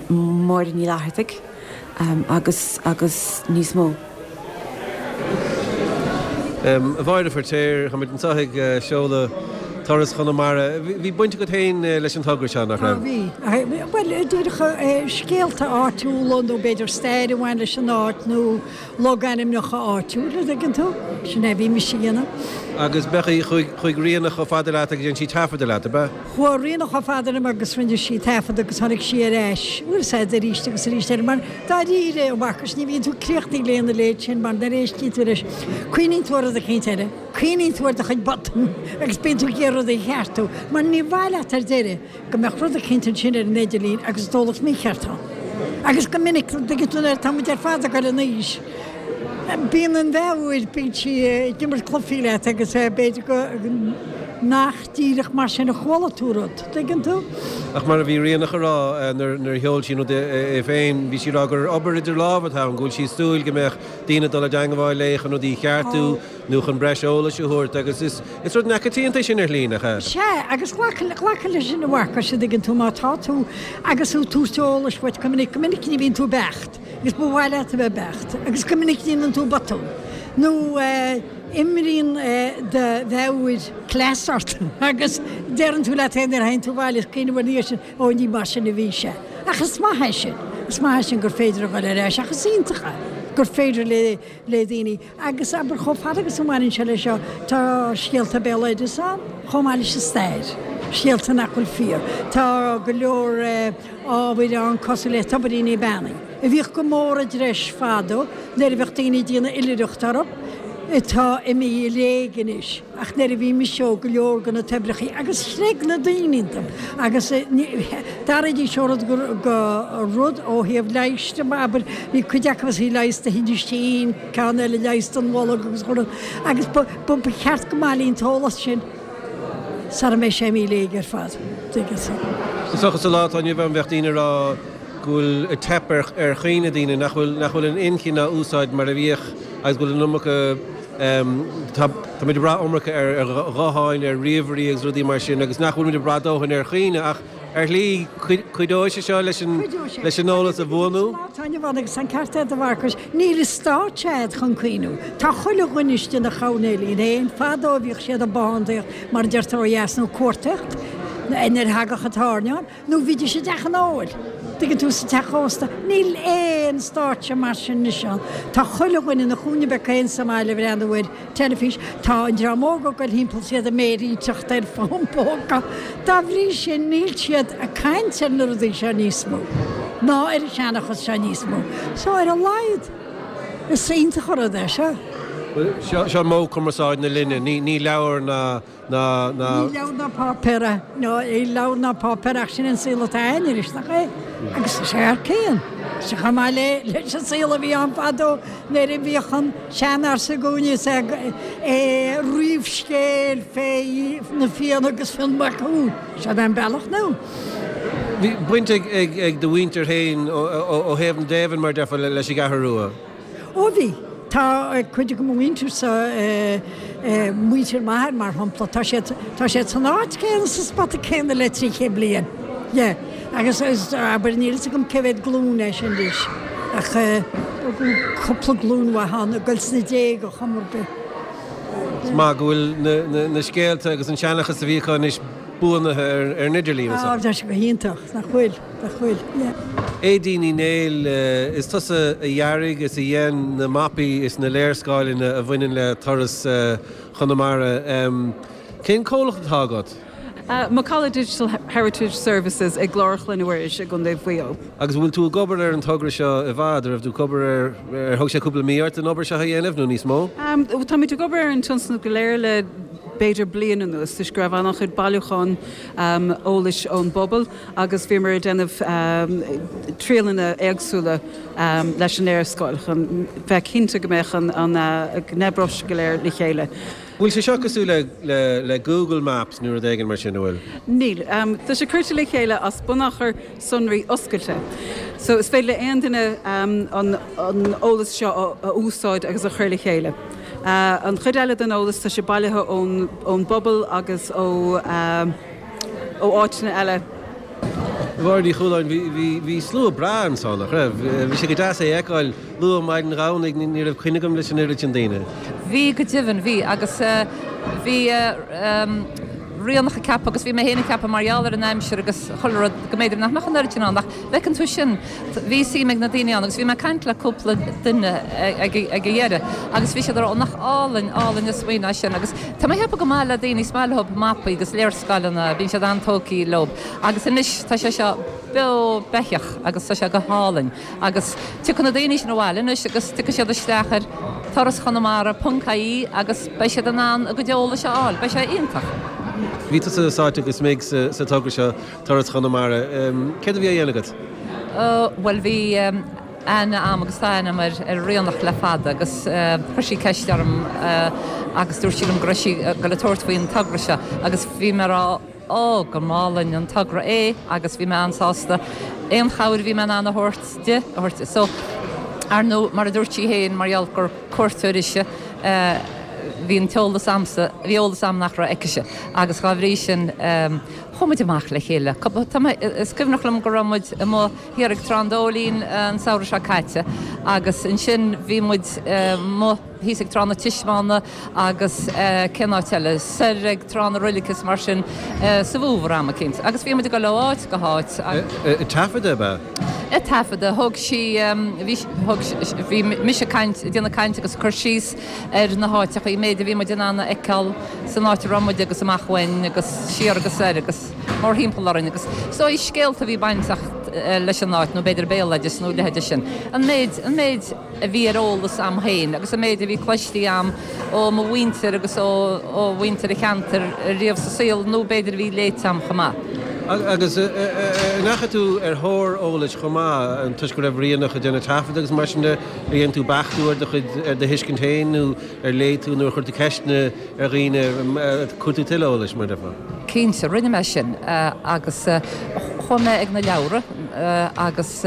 Máire Ní Fhlathartaigh agus agus níos mó. A Mháire Feirtéar, táimid anseo ag seoladh Turas Chonamara. Bhí baint agat féin leis an togra seo, nach raibh? Bhí. Bhuel, díreach scéalta áitiúla nó b'fhéidir stair a bhain leis an áit nó logainmneacha áitiúla, an dtuigeann tú? Sin é a bhí mise a dhéanamh. Agus beidh, chuaigh Ríonach chomh fada leat agus dhein sí taifeadadh leat, ab ea? Chuaigh Ríonach chomh fada liom agus rinne sí taifead agus tháinig sí ar ais, bhfuil 's a'd, arís agus arís eile, mar dáiríre, a Mharcais, ní bhíonn tú críochnaithe lena leithéid sin mar nuair a éistíonn tú leis, cuimhníonn tú ar rud eicínt eile, cuimhníonn tú ar do chuid botún agus bíonn tú ag iarraidh rudaí a cheartú, mar ní mhaith leat ar deireadh go mbeadh rud eicínt ansin ar an idirlíon agus an t-eolas mícheart ann. Agus go minic, an dtuigeann tú, nuair atá muid ar fad ag dul in aois, bíonn an mheabhair, bíonn sí ag imirt cluichí leat agus b'fhéidir go nach díreach mar sin a chuala tú rud, an dtuigeann tú? Ach mar a bhí Ríonach a rá nuair a sheol sí an rud é féin, bhí sí ag rá gur obair idir lámha atá ann, go bhfuil sí ag súil go mbeadh daoine ag dul i dteangmháil léi chun rudaí a cheartú, nó chun breis eolais a thabhairt agus is is rud neamhchoitianta é sin ar shlí, nach ea? Sea, agus glacadh leis sin a Mharcais, an dtuigeann tú, má tá tú agus tú ag tabhairt eolais uait go minic, go minic ní bhíonn tú beacht agus ba mhaith leat a bheith beacht agus go minic déanann tú botún nó imríonn do mheabhair cleas ort agus deireann tú leat féin nuair a théann tú abhaile is cuimhneamh ina dhiaidh sin, ó ní mar sin a bhí sé. Ach is maith é sin, is maith é sin gur féidir a dhul ar ais ach is iontach é gur féidir le le daoine Agus abair, chomh fada agus a bhaineann sé leis seo, tá scéalta béaloideas ann, chomh maith leis an stair, scéalta nach bhfuil fíor. Tá go leor ábhair ann cosúil le tobairíní beannaithe, a bhíodh go mór i dtreis fadó nuair a bheadh daoine ag déanamh oilithreacht orthu, atá imithe i léig anois. Ach nuair a bhí mise óg, go leor de na toibreachaí, agus chreid na daoine iontu, agus d'athraídís ó rud go rud ó thaobh leighis de, abair, bhí cuid acu is leigheas do thinneas tinn, ceann eile leigheas don bholg agus rud, agus ba cheart go mbailíonn an t-eolas sin sara mbeidh sé imithe i léig ar fad, tuigeann tú. Is dócha sa lá atá inniu ann bheadh daoine ag rá go bhfuil ag teip ar chuimhne daoine, nach bhfuil, nach bhfuil an inchinn á úsáid mar a bhíodh agus go bhfuil an iomarca, tá, táimid ag brath iomarca ar ghutháin, ar ríomhairí agus rudaí mar sin agus nach bhfuilimid ag brath dóthain ar chuimhne ach ar shlí cuideoidh sé seo leis an, leis an eolas a bhuanú. Tá an agus an ceart agat a Mharcais, níl an stáitse a'd chun cuimhniú. Tá chuile dhuine istigh ina choirnéilín féin, fadó bhíodh siad ag bothántaíocht mar a deirtear ó dheas nó cuartaíocht nuair a thagadh an t-airneán. Nó bhídís i dteach an óil, tuigeann tú, sa teach ósta. Níl aon stáitse mar sin anois ann. Tá chuile dhuine ina chúinne beag féin sa mbaile ag breathnú ar teilifís. Tá an dream óg ag goil thimpeall is iad ag méirínteacht ar fón póca. Dá bhrí sin níl siad ag caint ar na rudaí seo níos mó, ná ar an seanchas seo níos mó. So ar a laghad, is iontach an rud é seo. Bhuel, seo modh cumarsáide na linne. Ní leabhar ná ná, ná. Ní leabhar ná páipéar é, ná, ní leabhar ná páipéar ach sin an saol atá againn anois, nach é? Agus tá sé thar cionn. Sea, chomh maith le leis an saol a bhí ann fadó nuair a bhíodh an seanfhear s'againne is é ag ríomh scéil fé na Fianna agus Fionn Mac Cumhaill. Sin é an bealach now. Bhí baint ag do mhuintir féin ó thaobh na dtaobhann, mar déarfá, leis an gCeathrú Rua? Ó bhí. Tá cuid de mo mhuintirsa, muintir m'athar mar shampla, tá siad, tá siad san áit céanna, sa spota céanna le 300 bliain. Yeah. Agus abair, níl fhios agam cé mhéad glúin é sin anois, ach cúpla glúin mhaith ann, ag goil sna déaga chuma ar bith. Is maith go bhfuil na scéalta agus an seanchas a bhí acu anois buanaithe ar an idirlíon. Á, tá sé go hiontach, nach bhfuil, nach bhfuil, yeah. Aedín Ní Néill, is tusa a dhearaigh is a dhein na mapaí is na léarscáileanna a bhaineann le turas Chonamara. Cén comhlacht atá agat? Macalla Digital Heritage Services i gClár Chloinne Mhuiris i gContae Mhaigh Eo. Agus an bhfuil tú ag obair ar an togra seo i bhfad? An raibh tú ag obair ar, ar thóg sé cúpla mí ort an obair seo a dhéanamh nó níos mó? Táimid ag obair ar an tionscnamh go léir le b'fhéidir bliain anuas toisc go raibh an-chuid bailiúchán eolais ón bpobal agus bhíomar ag déanamh triaileanna éagsúla leis an léarscáil chun bheith cinnte go mbeadh an, go n-oibreodh sé go léir le chéile. Bhfuil sé seo cosúil le le Google Maps nó rud éigin mar sin, an bhfuil? Níl. Tá sé curtha le chéile as bunachar sonraí oscailte. So is féidir le aon duine an eolas seo a úsáid agus a chur le chéile. An chuid eile den eolas, tá sé bailithe ón ón bpobal agus ó ó áiteanna eile. Máire Ní Chualáin, bhí, bhí slua breá ansan, nach raibh? Bhí sé go deas é a fheiceáil luath maidin Dhomhnaigh, ní raibh coinne agam leis an oiread sin daoine. Bhí, go deimhin, bhí. Agus bhí Ríonach ag ceapadh, agus bhí mé féin ag ceapadh mar gheall ar an aimsir agus chuile rud, go mb'fhéidir nach mbeadh an oiread sin ann. Ach bhfeiceann tú sin, bhí suim ag na daoine ann agus bhí mé ag caint le cúpla duine ag an dheireadh agus bhí siad ag rá, ó nach álainn, álainn an smaoineamh é sin. Agus tá mé ag ceapadh go maith le daoine, is maith leo mapaí agus léarscáileanna, bíonn siad an-tógtha leo. Agus anois tá sé seo beo beathach agus tá sé go hálainn. Agus tiocfaidh na daoine sin abhaile anois agus tiocfaidh siad isteach ar turaschonamara ponc ie agus beidh siad in ann a gcuid eolais a fháil. Beidh sé iontach. Bhí tusa sáite go smig sa togra seo, Turas Chonamara. Céard a bhí á dhéanamh agat? Bhuel bhí aithne a'm agus tá aithne a'm ar Ríonach le fada agus chuir sí ceist orm agus dúirt sí liom go raibh sí ag goil a tabhairt faoin togra seo agus bhí mé a rá Ó, go mb'álainn an togra é agus bhí mé an-sásta aon chabhair a bhí mé in ann a thabhairt di, a thabhairt di. So, ar ndóigh, mar a dúirt sí féin, mar gheall gur cuairteoir ise, bhí an t-eolas a'msa, bhí eolas a'm nach raibh aicise agus dhá bhrí sin, chuaigh muid amach le chéile. Tá mé, is cuimhneach liom go raibh muid amuigh thiar ag Trá an Dóilín an samhradh seo caite agus ansin bhí muid amuigh, thíos ag Trá na Tismeána agus cén áit eile, soir ag Trá na Roilige is mar sin sa bhfómhar am eicínt. Agus bhí muid ag dul ó áit go háit agus. Ag taifeadadh ab ea? Ag taifeadadh. Thóg sí, bhí, thóg, bhí mise ag caint, ag déanamh caint agus ag cur síos ar na háiteacha, an méid a bhí muid in ann a fheiceáil san áit a raibh muid agus amach uainn agus siar agus soir agus mórthimpeall orainn agus is dóigh scéalta a bhí bainteach leis an áit nó b'fhéidir béaloideas nó a leithéide sin. An méid, an méid. a bhí ar eolas a'm féin agus an méid a bhí cloistí a'm ó mo mhuintir agus ó mhuintir an cheantair riamh sa saol nó b'fhéidir a bhí léite a'm chomh maith. Agus an ndeachaigh tú ar thóir eolais chomh maith, toisc go raibh Ríonach ag déanamh taifead agus mar sin de, ar dhein tú beachtú ar do chuid, ar do thuiscint féin nó ar léigh tú nó ar chuir tú ceisteanna ar dhaoine, ag cuartú tuilleadh eolais, mar a déarfá? Cinnte, rinne mé sin agus chuaigh mé ag na leabhra agus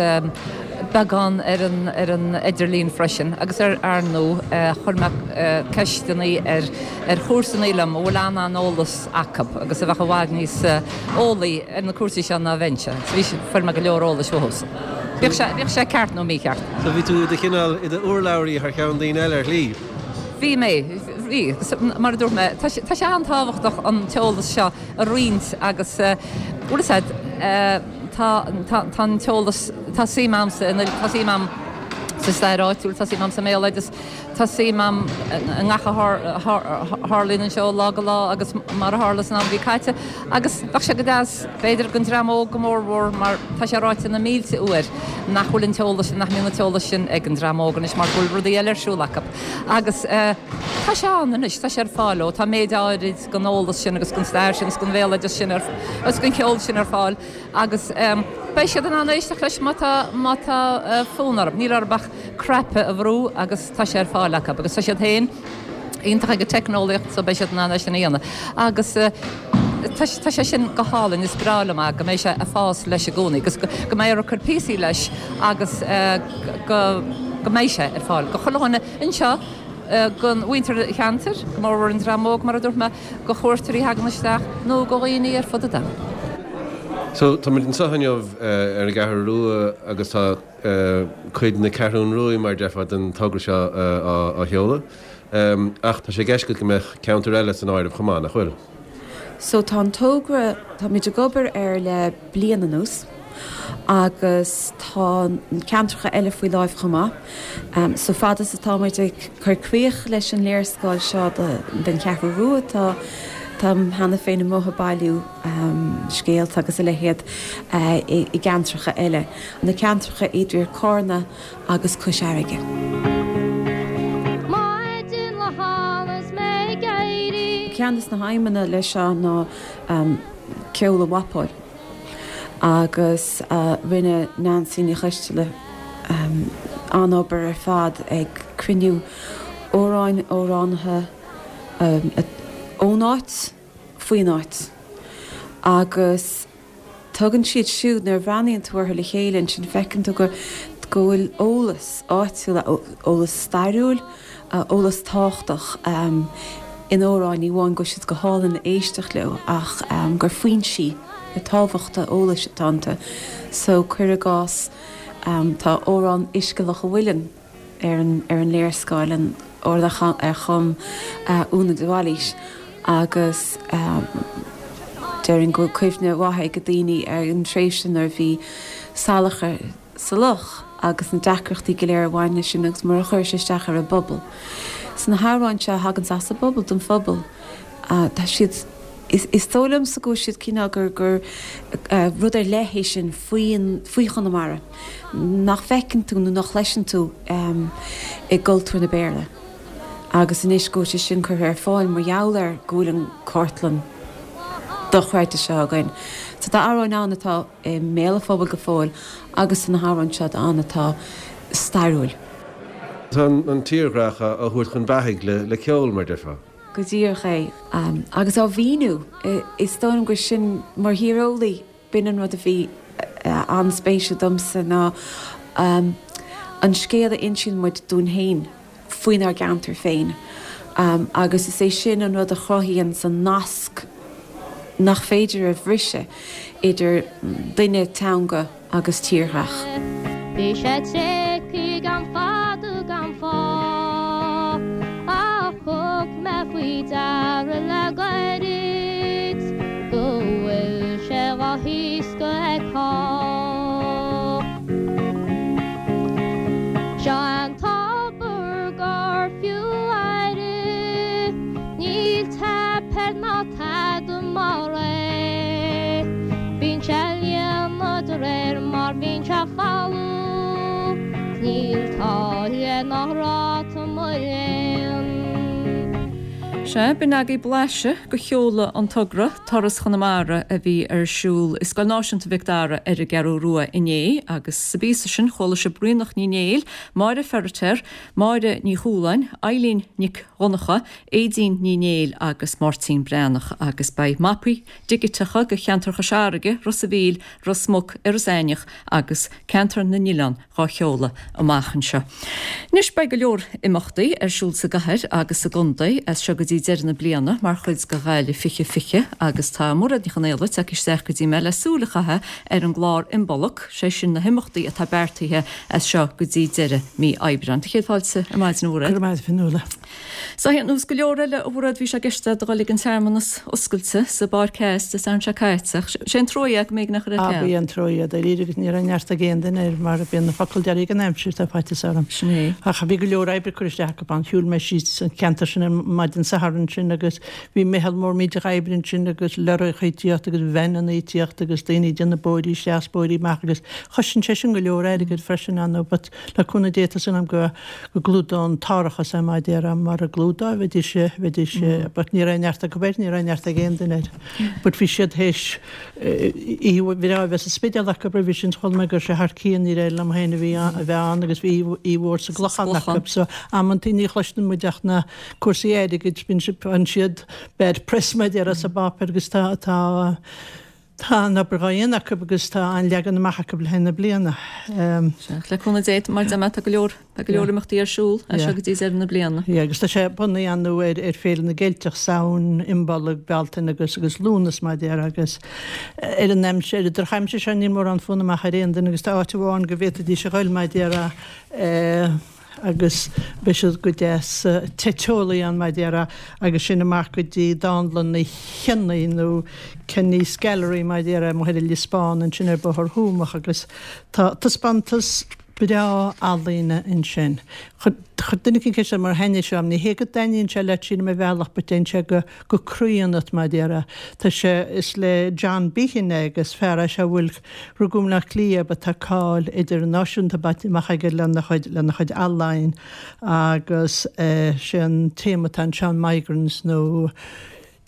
beagán ar an ar an idirlíon freisin agus ar ar ndóigh chuir mé ceisteanna ar ar chomharsanaí liom a bhfuil an-an-eolas acu agus a bheadh i bhfad níos eolaí ar na cúrsaí seo ná bheinnse. So bhí, fuair mé go leor eolais uathu. Bíodh sé, bíodh sé ceart nó mícheart. So bhí tú i do chineál, i do urlabhraí thar cheann daoine eile ar shlí? Bhí mé, bhí. Mar a dúirt mé, tá sé, tá sé an-tábhachtach an t-eolas seo a roinnt agus, bhfuil fhios a'd, tá, tá, tá an t-eolas, tá suim a'msa, tá suim a'm. sa stair áitiúil, tá suim a'm sa mbéaloideas, tá suim a'm i ngach a tharlaíonn anseo ó lá go lá agus mar a tharla san am a bhí caite. Agus bheadh sé go deas, b'fhéidir, don dream óg go mórmhór mar tá sé ráite na mílte uair nach bhfuil an t-eolas sin, nach mbíonn an t-eolas sin ag an dream óg anois mar go bhfuil rudaí eile ar siúl acu. Agus tá sé ann anois, tá sé ar fáil ó, tá méid áirid den eolas sin agus den stair sin agus den bhéaloideas sin agus den cheol sin ar fáil. Agus beidh siad in ann éisteacht leis má tá, má tá fonn orthu. Níl orthu ach cnaipe a bhrú agus tá sé ar fáil acu. Agus tá siad féin iontach ag an teicneolaíocht so beidh siad in ann é sin a dhéanamh. Agus tá, tá sé sin go hálainn, is breá liom é, go mbeidh sé ag fás leis i gcónaí agus go, go mbeifear ag cur píosaí leis agus go, go mbeidh sé ar fáil go chuile dhuine anseo, don mhuintir an cheantair, go mórmhór an dream óg mar a dúirt mé, do chuairteoirí a thagann isteach nó do dhaoine ar fud an domhain. So, táimid anseo inniu ar an gCeathrú Rua agus tá cuid na Ceathrún Ruaidh, mar a déarfá, den togra seo á sheoladh. Ach tá sé i gceist agat go mbeadh ceantair eile san áireamh chomh maith, nach bhfuil? So tá an togra, táimid ag obair air le bliain anuas agus tá na ceantracha eile faoi láimh chomh maith. So fad is atá muid ag cur críoch leis an léarscáil seo den Cheathrú Rua, tá táim cheana féin amuigh ag bailiú scéalta agus a leithéid i gceantracha eile, na ceantracha idir Cárna agus Cois Fharraige. Maidin lá cheana is mé ag éirí. Ceann de na haidhmeanna leis seo ná ceol a mhapáil agus rinne Neansaí Ní Choisteala an-obair ar fad ag cruinniú amhráin, amhránaithe ón áit, faoin áit agus Tugann siad siúd, nuair a bhreathnaíonn tú orthu le chéile ansin, feiceann tú go go bhfuil eolas áitiúil, eolas stairiúil, eolas tábhachtach in amhráin, ní amháin go bhfuil siad go hálainn le éisteacht leo ach gur foinsí tábhachta eolais atá iontu. So, cuir i gcás, tá amhrán Uisce Loch an Mhuilinn. ar an ar an léarscáil, an amhrán ar chum Úna de Bhailís agus déarfainn go bhfuil cuimhne mhaith ag daoine ar an tréimhse nuair a bhí salachar sa loch agus na deacrachtaí go léir a bhain leis sin agus mar a chuir sé isteach ar an bpobal. So na hamhráin seo a thagann as an bpobal don phobal. Tá siad, is dóigh liomsa go bhfuil siad cineál gur gur rud ar leith é sin faoin faoi Chonamara nach bhfeiceann tú nó nach chloiseann tú i gcultúr na Béarla. Agus anois go bhfuil sé sin curtha ar fáil mar gheall ar go bhfuil an cartlann dochreidte seo againn. So tá amhráin ann atá i mbéal an phobail go fóill agus tá na hamhráin seo ann atá stairiúil. Tá an tírdhreach á thabhairt chun beathaigh le ceol, mar déarfá. Go díreach é. Agus á mhíniú. Is dóigh liom gur sin, mar thíreolaí, b'in an rud a bhí an-spéisiúil domsa ná an scéal a insíonn muid dúinn féin faoinár gceantar féin. Agus is é sin an rud a chruthaíonn an nasc nach féidir a bhriseadh idir duine, teanga, agus tírdhreach. Bhí sé tréigthe gan fada gan fáth ach thug mé faoi deara le gairid go bhfuil sé dhá thaoscadh ag cách. Seo an tobar gur fiú aire, níl teip air ná tada mar é. Bíonn sé ag líonadh de réir mar bhíonn sé folamh, 's níl táille ná ráta mo léan. Sea, b'in agaibh blaiseadh de sheoladh an togra, Turas Chonamara, a bhí ar siúl i Scoil Náisiúnta Mhic Dara ar an gCeathrú Rua inné agus sa bpíosa sin chuala sibh Ríonach Ní Néill, Máire Feiritéar, Máire Ní Chualáin, Eilín Nic Dhonncha, Aedín Ní Néill agus Máirtín Breathnach agus beidh mapaí digiteacha de cheantar Chois Fharraige, Ros a' Mhíl, Ros Muc, Iorras Aithneach agus Ceantar na nOileán dhá sheoladh amach anseo. Anois beidh go leor imeachtaí ar siúl sa gcathair agus sa gcontae as seo go dtí. dtí deireadh na bliana mar chuid de Ghaillimh 2020 agus tá Mairéad Ní Chonaola tagtha isteach go dtí mé le súil a chaitheamh ar an gclár Imbolc, sé sin na himeachtaí atá beartaithe as seo go dtí deireadh mí Aibreáin. Tá céad fáilte ar maidin a Mhairéad. Go raibh maith agat a Fionnuala. So ar nós go leor eile a Mhairéad bhí sé i gceist agat a dhul ag an searmanas oscailte sa bPáirc Theas Dé Sathairn seo caite ach sé an trua é go mb'éigean é a chur ar ceal. Ab í an trua é dáiríre agus ní raibh neart ag aon duine air mar bíonn an focal deiridh ag an aimsir tá faitíos orm. Sin é. Ach bhí go leor oibre curtha isteach acu ann. Shiúil mé síos an ceantar sin ar maidin Sathairn sin agus bhí meitheal mór millteach oibre ansin agus lorraíocha ag tíocht agus veaineanna ag tíocht agus daoine ag déanamh bóithrí isteach is bóithrí amach agus chosain sé sin go leor airgid freisin ar ndóigh but le cúnamh Dé tá súil agam go go gclúdódh an t-árachas é mar a déarfá mura gclúdódh bheidís bheidís but ní raibh neart acu air ní raibh neart ag aon duine air but bhí siad théis oíche bhreá a bheith sa Spidéal acu roimhe sin chuala mé go raibh sé thar cionn ní raibh liom féin a bhí a bheith ann agus bhí oíche mhór sa gClochán acu so amantaí ní chloiseann muid ach na cúrsaí airgid bíonn faigheann siad bad press mar a déarfá sa bpáipéar agus tá tá Tá an-obair dhá dhéanamh acu agus tá an-leagan amach acu le haghaidh na bliana. Sea, le cúnamh Dé, mar a deir mé, tá go leor, tá go leor imeachtaí ar siúl as seo go dtí deireadh na bliana. Yeah, agus tá sé bunaithe ar ndóigh ar, ar Féile na gCeilteach, Samhain, Imbolg, Bealtaine agus, agus Lúnasa mar a déarfá agus ar an aimsir, ar an drochaimsir seo níl mórán fonn amach ar aon duine agus tá áit amháin go bhféadfaidís a ghoil mar a déarfá, agus beidh siad go deas te teolaí ann mar a déarfá agus sin amach go dtí Dánlann Uí Chionnaith nó Kenny's Gallery mar a déarfá amuigh ar an Lios Bán ansin ar Bhóthar Thuamach agus tá taispeántas breá ealaíne ansin. Chuir duine eicínt ceist orm ar thaitnigh sé liom. Ní hé go dtaitníonn sé leat sílim ar bhealach but téann sé go go croí ionat mar a déarfá. Tá sé, is le John Behan é agus fear é seo a bhfuil, rugadh i mBleá Cliath but tá cáil idirnáisiúnta bainte amach aige lena chuid, lena chuid ealaín agus sé an téama atá anseo migrants nó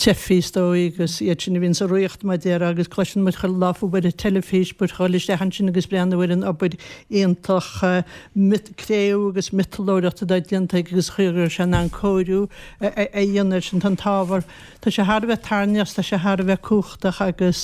teifigh is dóigh agus iad sin a bhíonn sa riocht mar a déarfá agus cloiseann muid chuile lá faoi ar an teilifís but dhul isteach ansin agus breathnú ar an obair iontach cré-umha agus miotalóireacht atá déanta aige agus chaoi a raibh sé in ann cóiriú a dhéanamh air sin. Tá an t-ábhar, tá sé thar a bheith tarraingteach, tá sé thar a bheith cumhachtach agus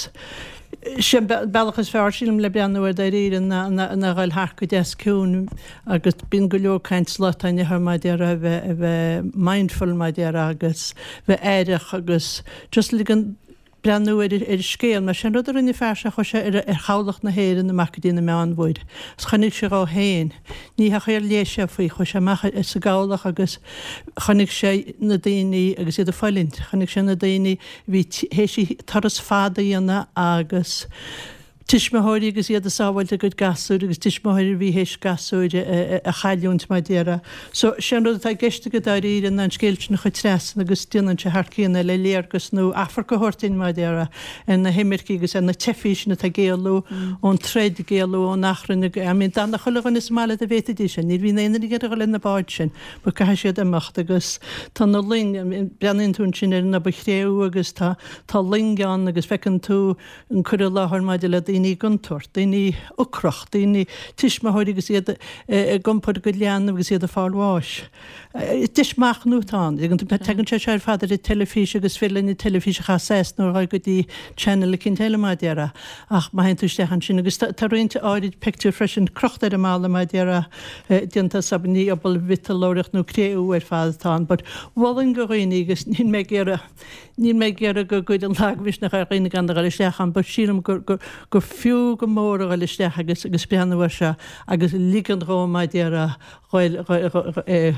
sé an bealach is fearr, sílim, le breathnú air dáiríre ná a dhul thart go deas ciúin agus bíonn go leor caint sa lá atá inniu ann mar a déarfá a bheith, a bheith mindful mar a déarfá agus bheith aireach agus just ligean breathnú ar an scéal. Mar sin rud a rinne an fear seo, chuaigh sé ar chabhlach na hÉireann amach go dtí na Meánmhuir agus chonaic sé dhó féin. Ní hé ar léigh sé faoi, chuaigh sé amach sa gcabhlach agus chonaic sé na daoine agus iad ag fulaingt. Chonaic sé na daoine a bhí théis turas fada a dhéanamh agus tuismitheoirí agus iad ag sábháilt a gcuid gasúir agus tuismitheoirí a bhí théis gasúir a chailliúint mar a déarfá. So, sé an rud atá i gceist aige dáiríre ná an scéal sin a chur trasna agus déanann sé thar cionn é le léargas nó amharc a thabhairt duinn mar a déarfá ar na himircigh agus ar na teifigh sin atá ag éalú ón troid, ag éalú ón achrann, I mean d'fhanfadh chuile dhuine sa mbaile dá bhféadfaidís é, ní bhíonn aon duine ag iarraidh a dhul ar na báid sin but caithfidh siad imeacht agus tá na loing, breathnaíonn tú ansin ar an obair chré-umha agus tá tá loing ann agus feiceann tú an cur i láthair maidir le daoine i gcontúirt, daoine ocrach, daoine, tuismitheoirí agus iad ag iompar a gcuid leanbh agus iad ag fáil bháis. Deis machnaimh atá ann. Tagann sé seo ar fad ar an teilifís agus is féidir linn an teilifís a chasadh as nó a dhul go dtí channel eicínt eile mar a déarfá ach má théann tú isteach ansin agus tá roinnt áirid pictiúr freisin crochta ar an mballa mar a déarfá déanta as ní obair mhiotalóireacht nó cré-umha ar fad atá ann but mholfainn do dhaoine agus níl mé ag iarraidh Níl mé ag iarraidh go gcuirfinn lagmhisneach ar dhaoine gan a dhul isteach ann but sílim gur gur gur fiú go mór a dhul isteach agus agus breathnú air seo agus ligean dhó mar a déarfá ghoil é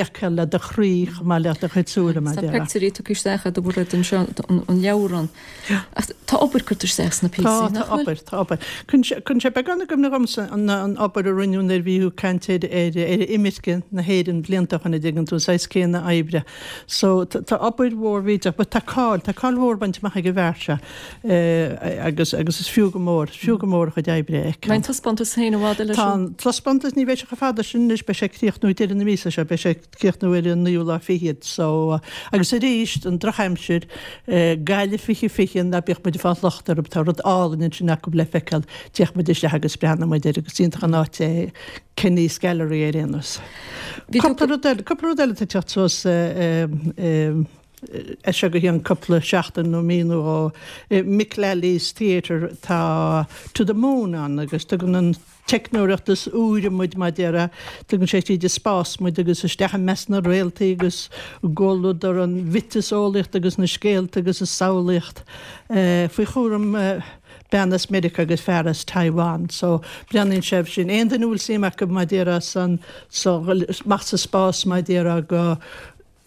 a fheiceáil le do chroí chomh maith le do chuid súile mar a Tá déarfá. pictiúirí tugtha isteach agat a Mhairéad anseo an leabhrán. Ach tá obair curtha isteach sna píosaí, Tá, nach tá bhfuil? obair, tá obair. Cuireann sé, cuireann sé beagán i gcuimhne dhomsa an an obair a rinneadh nuair a bhí tú ag caint ar ar ar imirce na hÉireann blianta ó shin, an dtuigeann tú, an saghas céanna oibre. So tá obair mhór mhillteach, but tá cáil, tá cáil mhór bainte amach ag an bhfear seo agus agus is fiú go mór, is fiú go mór a chuid oibre a fheiceáil. An mbeidh an taispeántas féin i bhfad eile Tá an taispeántas, ní bheidh sé chomh fada sin anois, beidh sé ag críochnú ag deireadh na míosa seo, beidh sé ag críochnú ar an naoú lá fichead. So, agus arís, an drochaimsir, Gaillimh 2020, ná bíodh muid ag fáil locht orthu, tá rud álainn ansin acu le feiceáil, téadh muid isteach agus breathnóidh muid air agus is iontach an áit é Kenny's Gallery ar aon nós. Cúpla rud eile, cúpla rud eile atá ag teacht suas. As seo go ceann cúpla seachtain nó mí nó dhó i Mick Lally's Theatre tá To the Moon ann agus tugann an teicneoireacht is úire muid mar a déarfá, tugann sé tríd an spás muid agus isteach i measc na réaltaí agus i gcomhluadar an mhiotaseolaíocht agus na scéalta agus an samhlaíocht faoi chúram bean as Meiriceá agus fear as Taiwan. So breathnaíonn sé sin. Aon duine a bhfuil suim acu mar a déarfá san so amach sa spás mar a déarfá go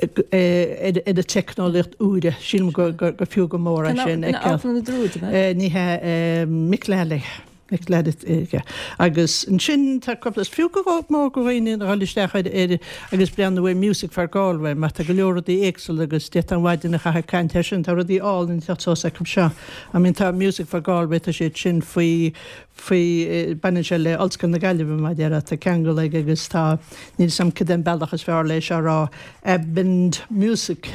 ar an teicneolaíocht úire. Sílim gur fiú go mór é sin a fheiceáil. Ní hea, Mick Lally. Mick Lally. Agus ansin tá cúpla, is fiú go mór go dhaoine a dhul isteach ar agus breathnú ar Music for Galway mar tá go leor rudaí éagsúla agus d'fhéadfá an mhaidin a chaitheamh ag caint air sin. Tá rudaí álainn ag teacht suas acu seo. I mean tá Music for Galway, tá siad sin faoi faoi, baineann sé le Ollscoil na Gaillimhe mar a déarfá, tá ceangal aige agus tá, níl 'fhios a'm cad é an bealach is fearr le é seo a rá, Abendmusik,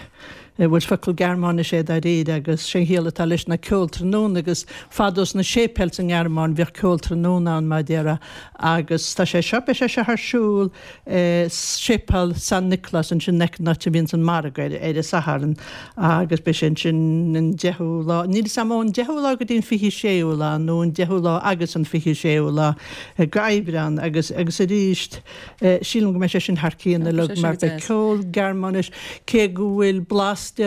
bhuel is focal Gearmáinise é dáiríre agus sé an chiall atá leis ná ceol tráthnóna agus fadó sna séipéil sa nGearmáin bhíodh ceol tráthnóna ann mar a déarfá agus tá sé seo, beidh sé seo ar siúl i Séipéal San Nioclás ansin in aice an áit a bhíonns an margadh ar an Satharn agus beidh sé ansin an deichiú lá, níl 'fhios a'm ón deichiú lá go dtí an 26ú lá nó an deichiú lá agus an 26ú lá go Aibreán agus agus arís sílim go mbeidh sé sin thar cionn uilig mar beidh ceol Gearmáinis cé go bhfuil blas de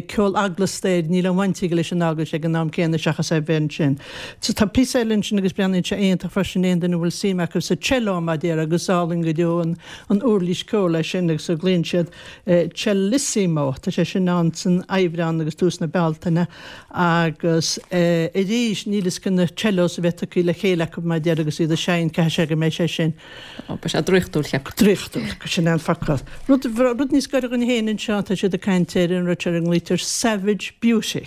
ceol eaglasta air níl aon bhaint aige leis an eaglais ag an am céanna seachas é bheith ansin. So tá píosa eile ansin agus breathnaíonn sé iontach freisin aon duine a bhfuil suim acu sa cello mar a déarfá agus is álainn go deo an an uirlis ceoil é sin agus a ghlaonn siad Cellissimo. Tá sé sin ann san Aibreán agus tús na Bealtaine agus arís níl 'fhios cé na cellos a bheidh tugtha le chéile acu mar a déarfá agus iad ag seinnt caithfidh sé go mbeidh sé sin Beidh sé draíochtúil, cheapfainn. Draíochtúil, sin é an focal. Rud, rud níos gaire dhúinn féin anseo, tá siad ag caint ar an rud seo ar a nglaoitear Savage Beauty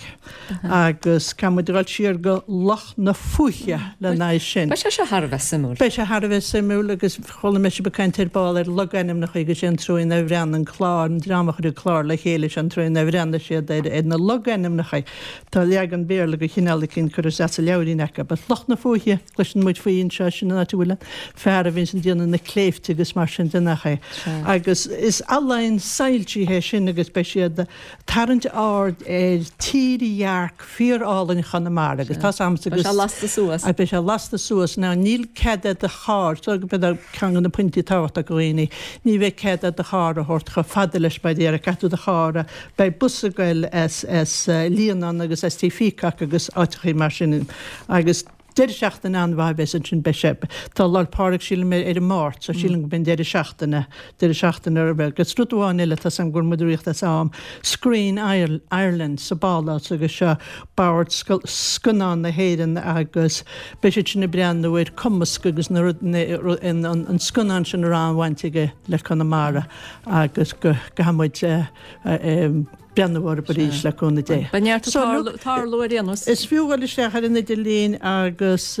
agus caithfidh muid a dhul siar go Loch na Fúiche lena aghaidh sin. Beidh sé seo thar a bheith suimiúil. Beidh sé thar a bheith suimiúil agus chuala mé sibh ag caint ar ball ar logainmneacha agus sé an treo inar bhreathnaigh an clár, an dream a chuir an clár le chéile, sé an treo inar bhreathnaigh siad ar na logainmneacha. Tá leagan Béarla de chineál eicínt curtha isteach sa leabhairín acu. But Loch na Fúiche, cloiseann muid faoi anseo, sin an áit a bhfuil an fear a bhíonns ag déanamh na cléibhte agus mar sin de, nach é? Agus is ealaín soilsithe é sin agus beidh siad ag tarraingt aird ar tírdhearc fíor-álainn Chonamara agus tá's a'msa agus. Beidh sé lasta suas. Beidh sé lasta suas. Now níl cead a'd do charr, so b'fhéidir ceann de na pointí tábhachtacha do dhaoine, ní bheidh cead a'd do charr a thabhairt chomh fada leis mar a déarfá, caithfidh tú do charr a Beidh bus ag goil as Líonán agus as Tigh Phíocac agus áiteachaí mar sin agus deireadh seachtaine an-mhaith a bheas ansin. Beidh sé, tá Lá'l Pádraig sílim ar an Máirt so sílim go mbeidh an deireadh seachtaine, deireadh seachtaine roimhe. Agus rud amháin eile, tá's a'm go bhfuil muid ag rith as am, Screen Ireland sa bPálás agus seo Bord Scannán na hÉireann agus beidh siad sin ag breathnú ar cumasc agus na rud, an scannán sin a raibh an-bhaint aige le Conamara. agus go gcaithfidh muid breathnú orthu arís le cúnamh Dé. Beidh neart ag tarlú ar aon nós. Is fiú dul isteach ar an idirlíon agus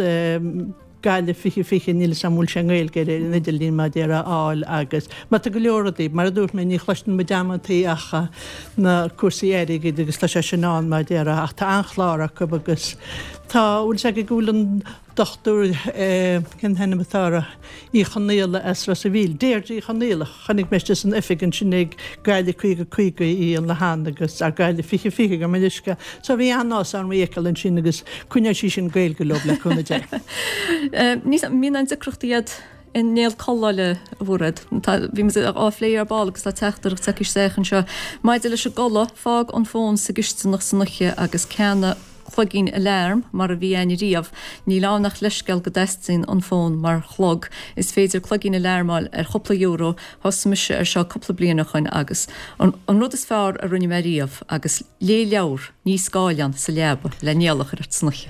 Gaillimh 2020, níl 'fhios a'm an bhfuil sé i nGaeilge ar an idirlíon mar a déarfá a fháil agus mar tá go leor rudaí, mar a dúirt mé, ní chloiseann muid amantaí ach na cúrsaí airgid agus tá sé sin ann mar a déarfá ach tá an-chlár acu agus tá, bhfuil 'fhios agat go bhfuil an Dochtúir, cén t-ainm atá uirthi, Uí Chonaola as Ros a' Mhíl, Deirdre Uí Chonaola, chonaic mé istigh san oifig ansin ag Gaillimh 50 50 í an lá cheana agus, ar Gaillimh 20 20 gabh mo leithscéal. So bhí an-áthas orm í a fheiceáil ansin agus coinneoidh sí sin Gaeilge leo le cúnamh Dé. Ní mbíonn aon deacrachtaí agat an néal codlata a Mhairéad. Tá, bhí muid á phlé ar ball agus tá teachtaireacht tagtha isteach anseo. Maidir leis an gcodladh, fág an fón sa gcisteanach san oíche agus ceannaigh cloigín alarm mar a bhí a'inn riamh. Níl ann ach leithscéal go dteastaíonn an fón mar chlog. Is féidir cloigín alarm a fháil ar chúpla euro, thosaigh mise ar seo cúpla bliain ó shoin agus an an rud is fearr a rinne mé riamh agus léigh leabhar, ní scáileán, sa leaba le néal a chur ort san oíche.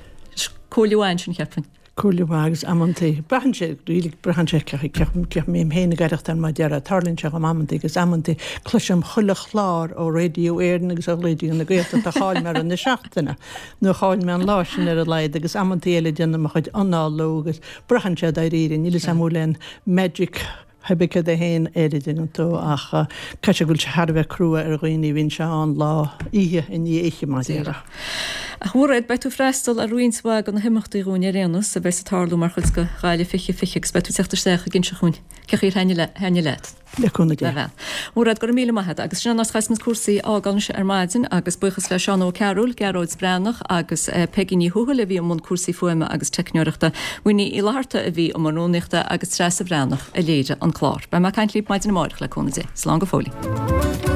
Comhairle mhaith ansin cheapfainn. Comhairle mhaith agus amantaí braitheann sé, really braitheann sé cé chaoi a mbím féin ag aireachtáil mar a déarfá, tarlaíonn sé dhom amantaí agus amantaí cloisim chuile chlár ó Radio Éireann agus ó Raidió na Gaeltachta a chaill mé i rith na seachtaine nó a chaill mé an lá sin ar a laghad agus amantaí eile déanaim mo chuid análú agus braitheann sé dáiríre, níl 'fhios a'm an bhfuil aon magic Pé bith céard é féin air a dtuigeann tú, ach caithfidh sé go bhfuil sé thar a bheith crua ar dhaoine a bhíonn sé ann lá, oíche i ndiaidh oíche, mar a déarfá. A Mhairéad, beidh tú ag freastal ar roinnt mhaith de na himeachtaí dhúinn ar aon nós a bheas ag tarlú mar chuid de Ghaillimh 2020 agus beidh tú ag teacht isteach ag inse dhúinn cé chaoi ar thaitnigh leat. Le cúnamh Dé. A bhean. Mhairéad, go raibh míle maith agat. Agus sin an áit a chaithfeas muid cúrsaí a fhágáil anois ar maidin agus buíochas le Seán Ó Cearúil, Gearóid Breathnach agus Peigí Ní Thuathail a bhí i mbun cúrsaí fuaime agus teicneoireachta, Winnie Uí Fhlatharta a bhí i mbun rúnaíochta agus Treasa Bhreathnach a léirigh an clár. Beidh mé ag caint libh maidin amárach le cúnamh Dé. Slán go fóillín.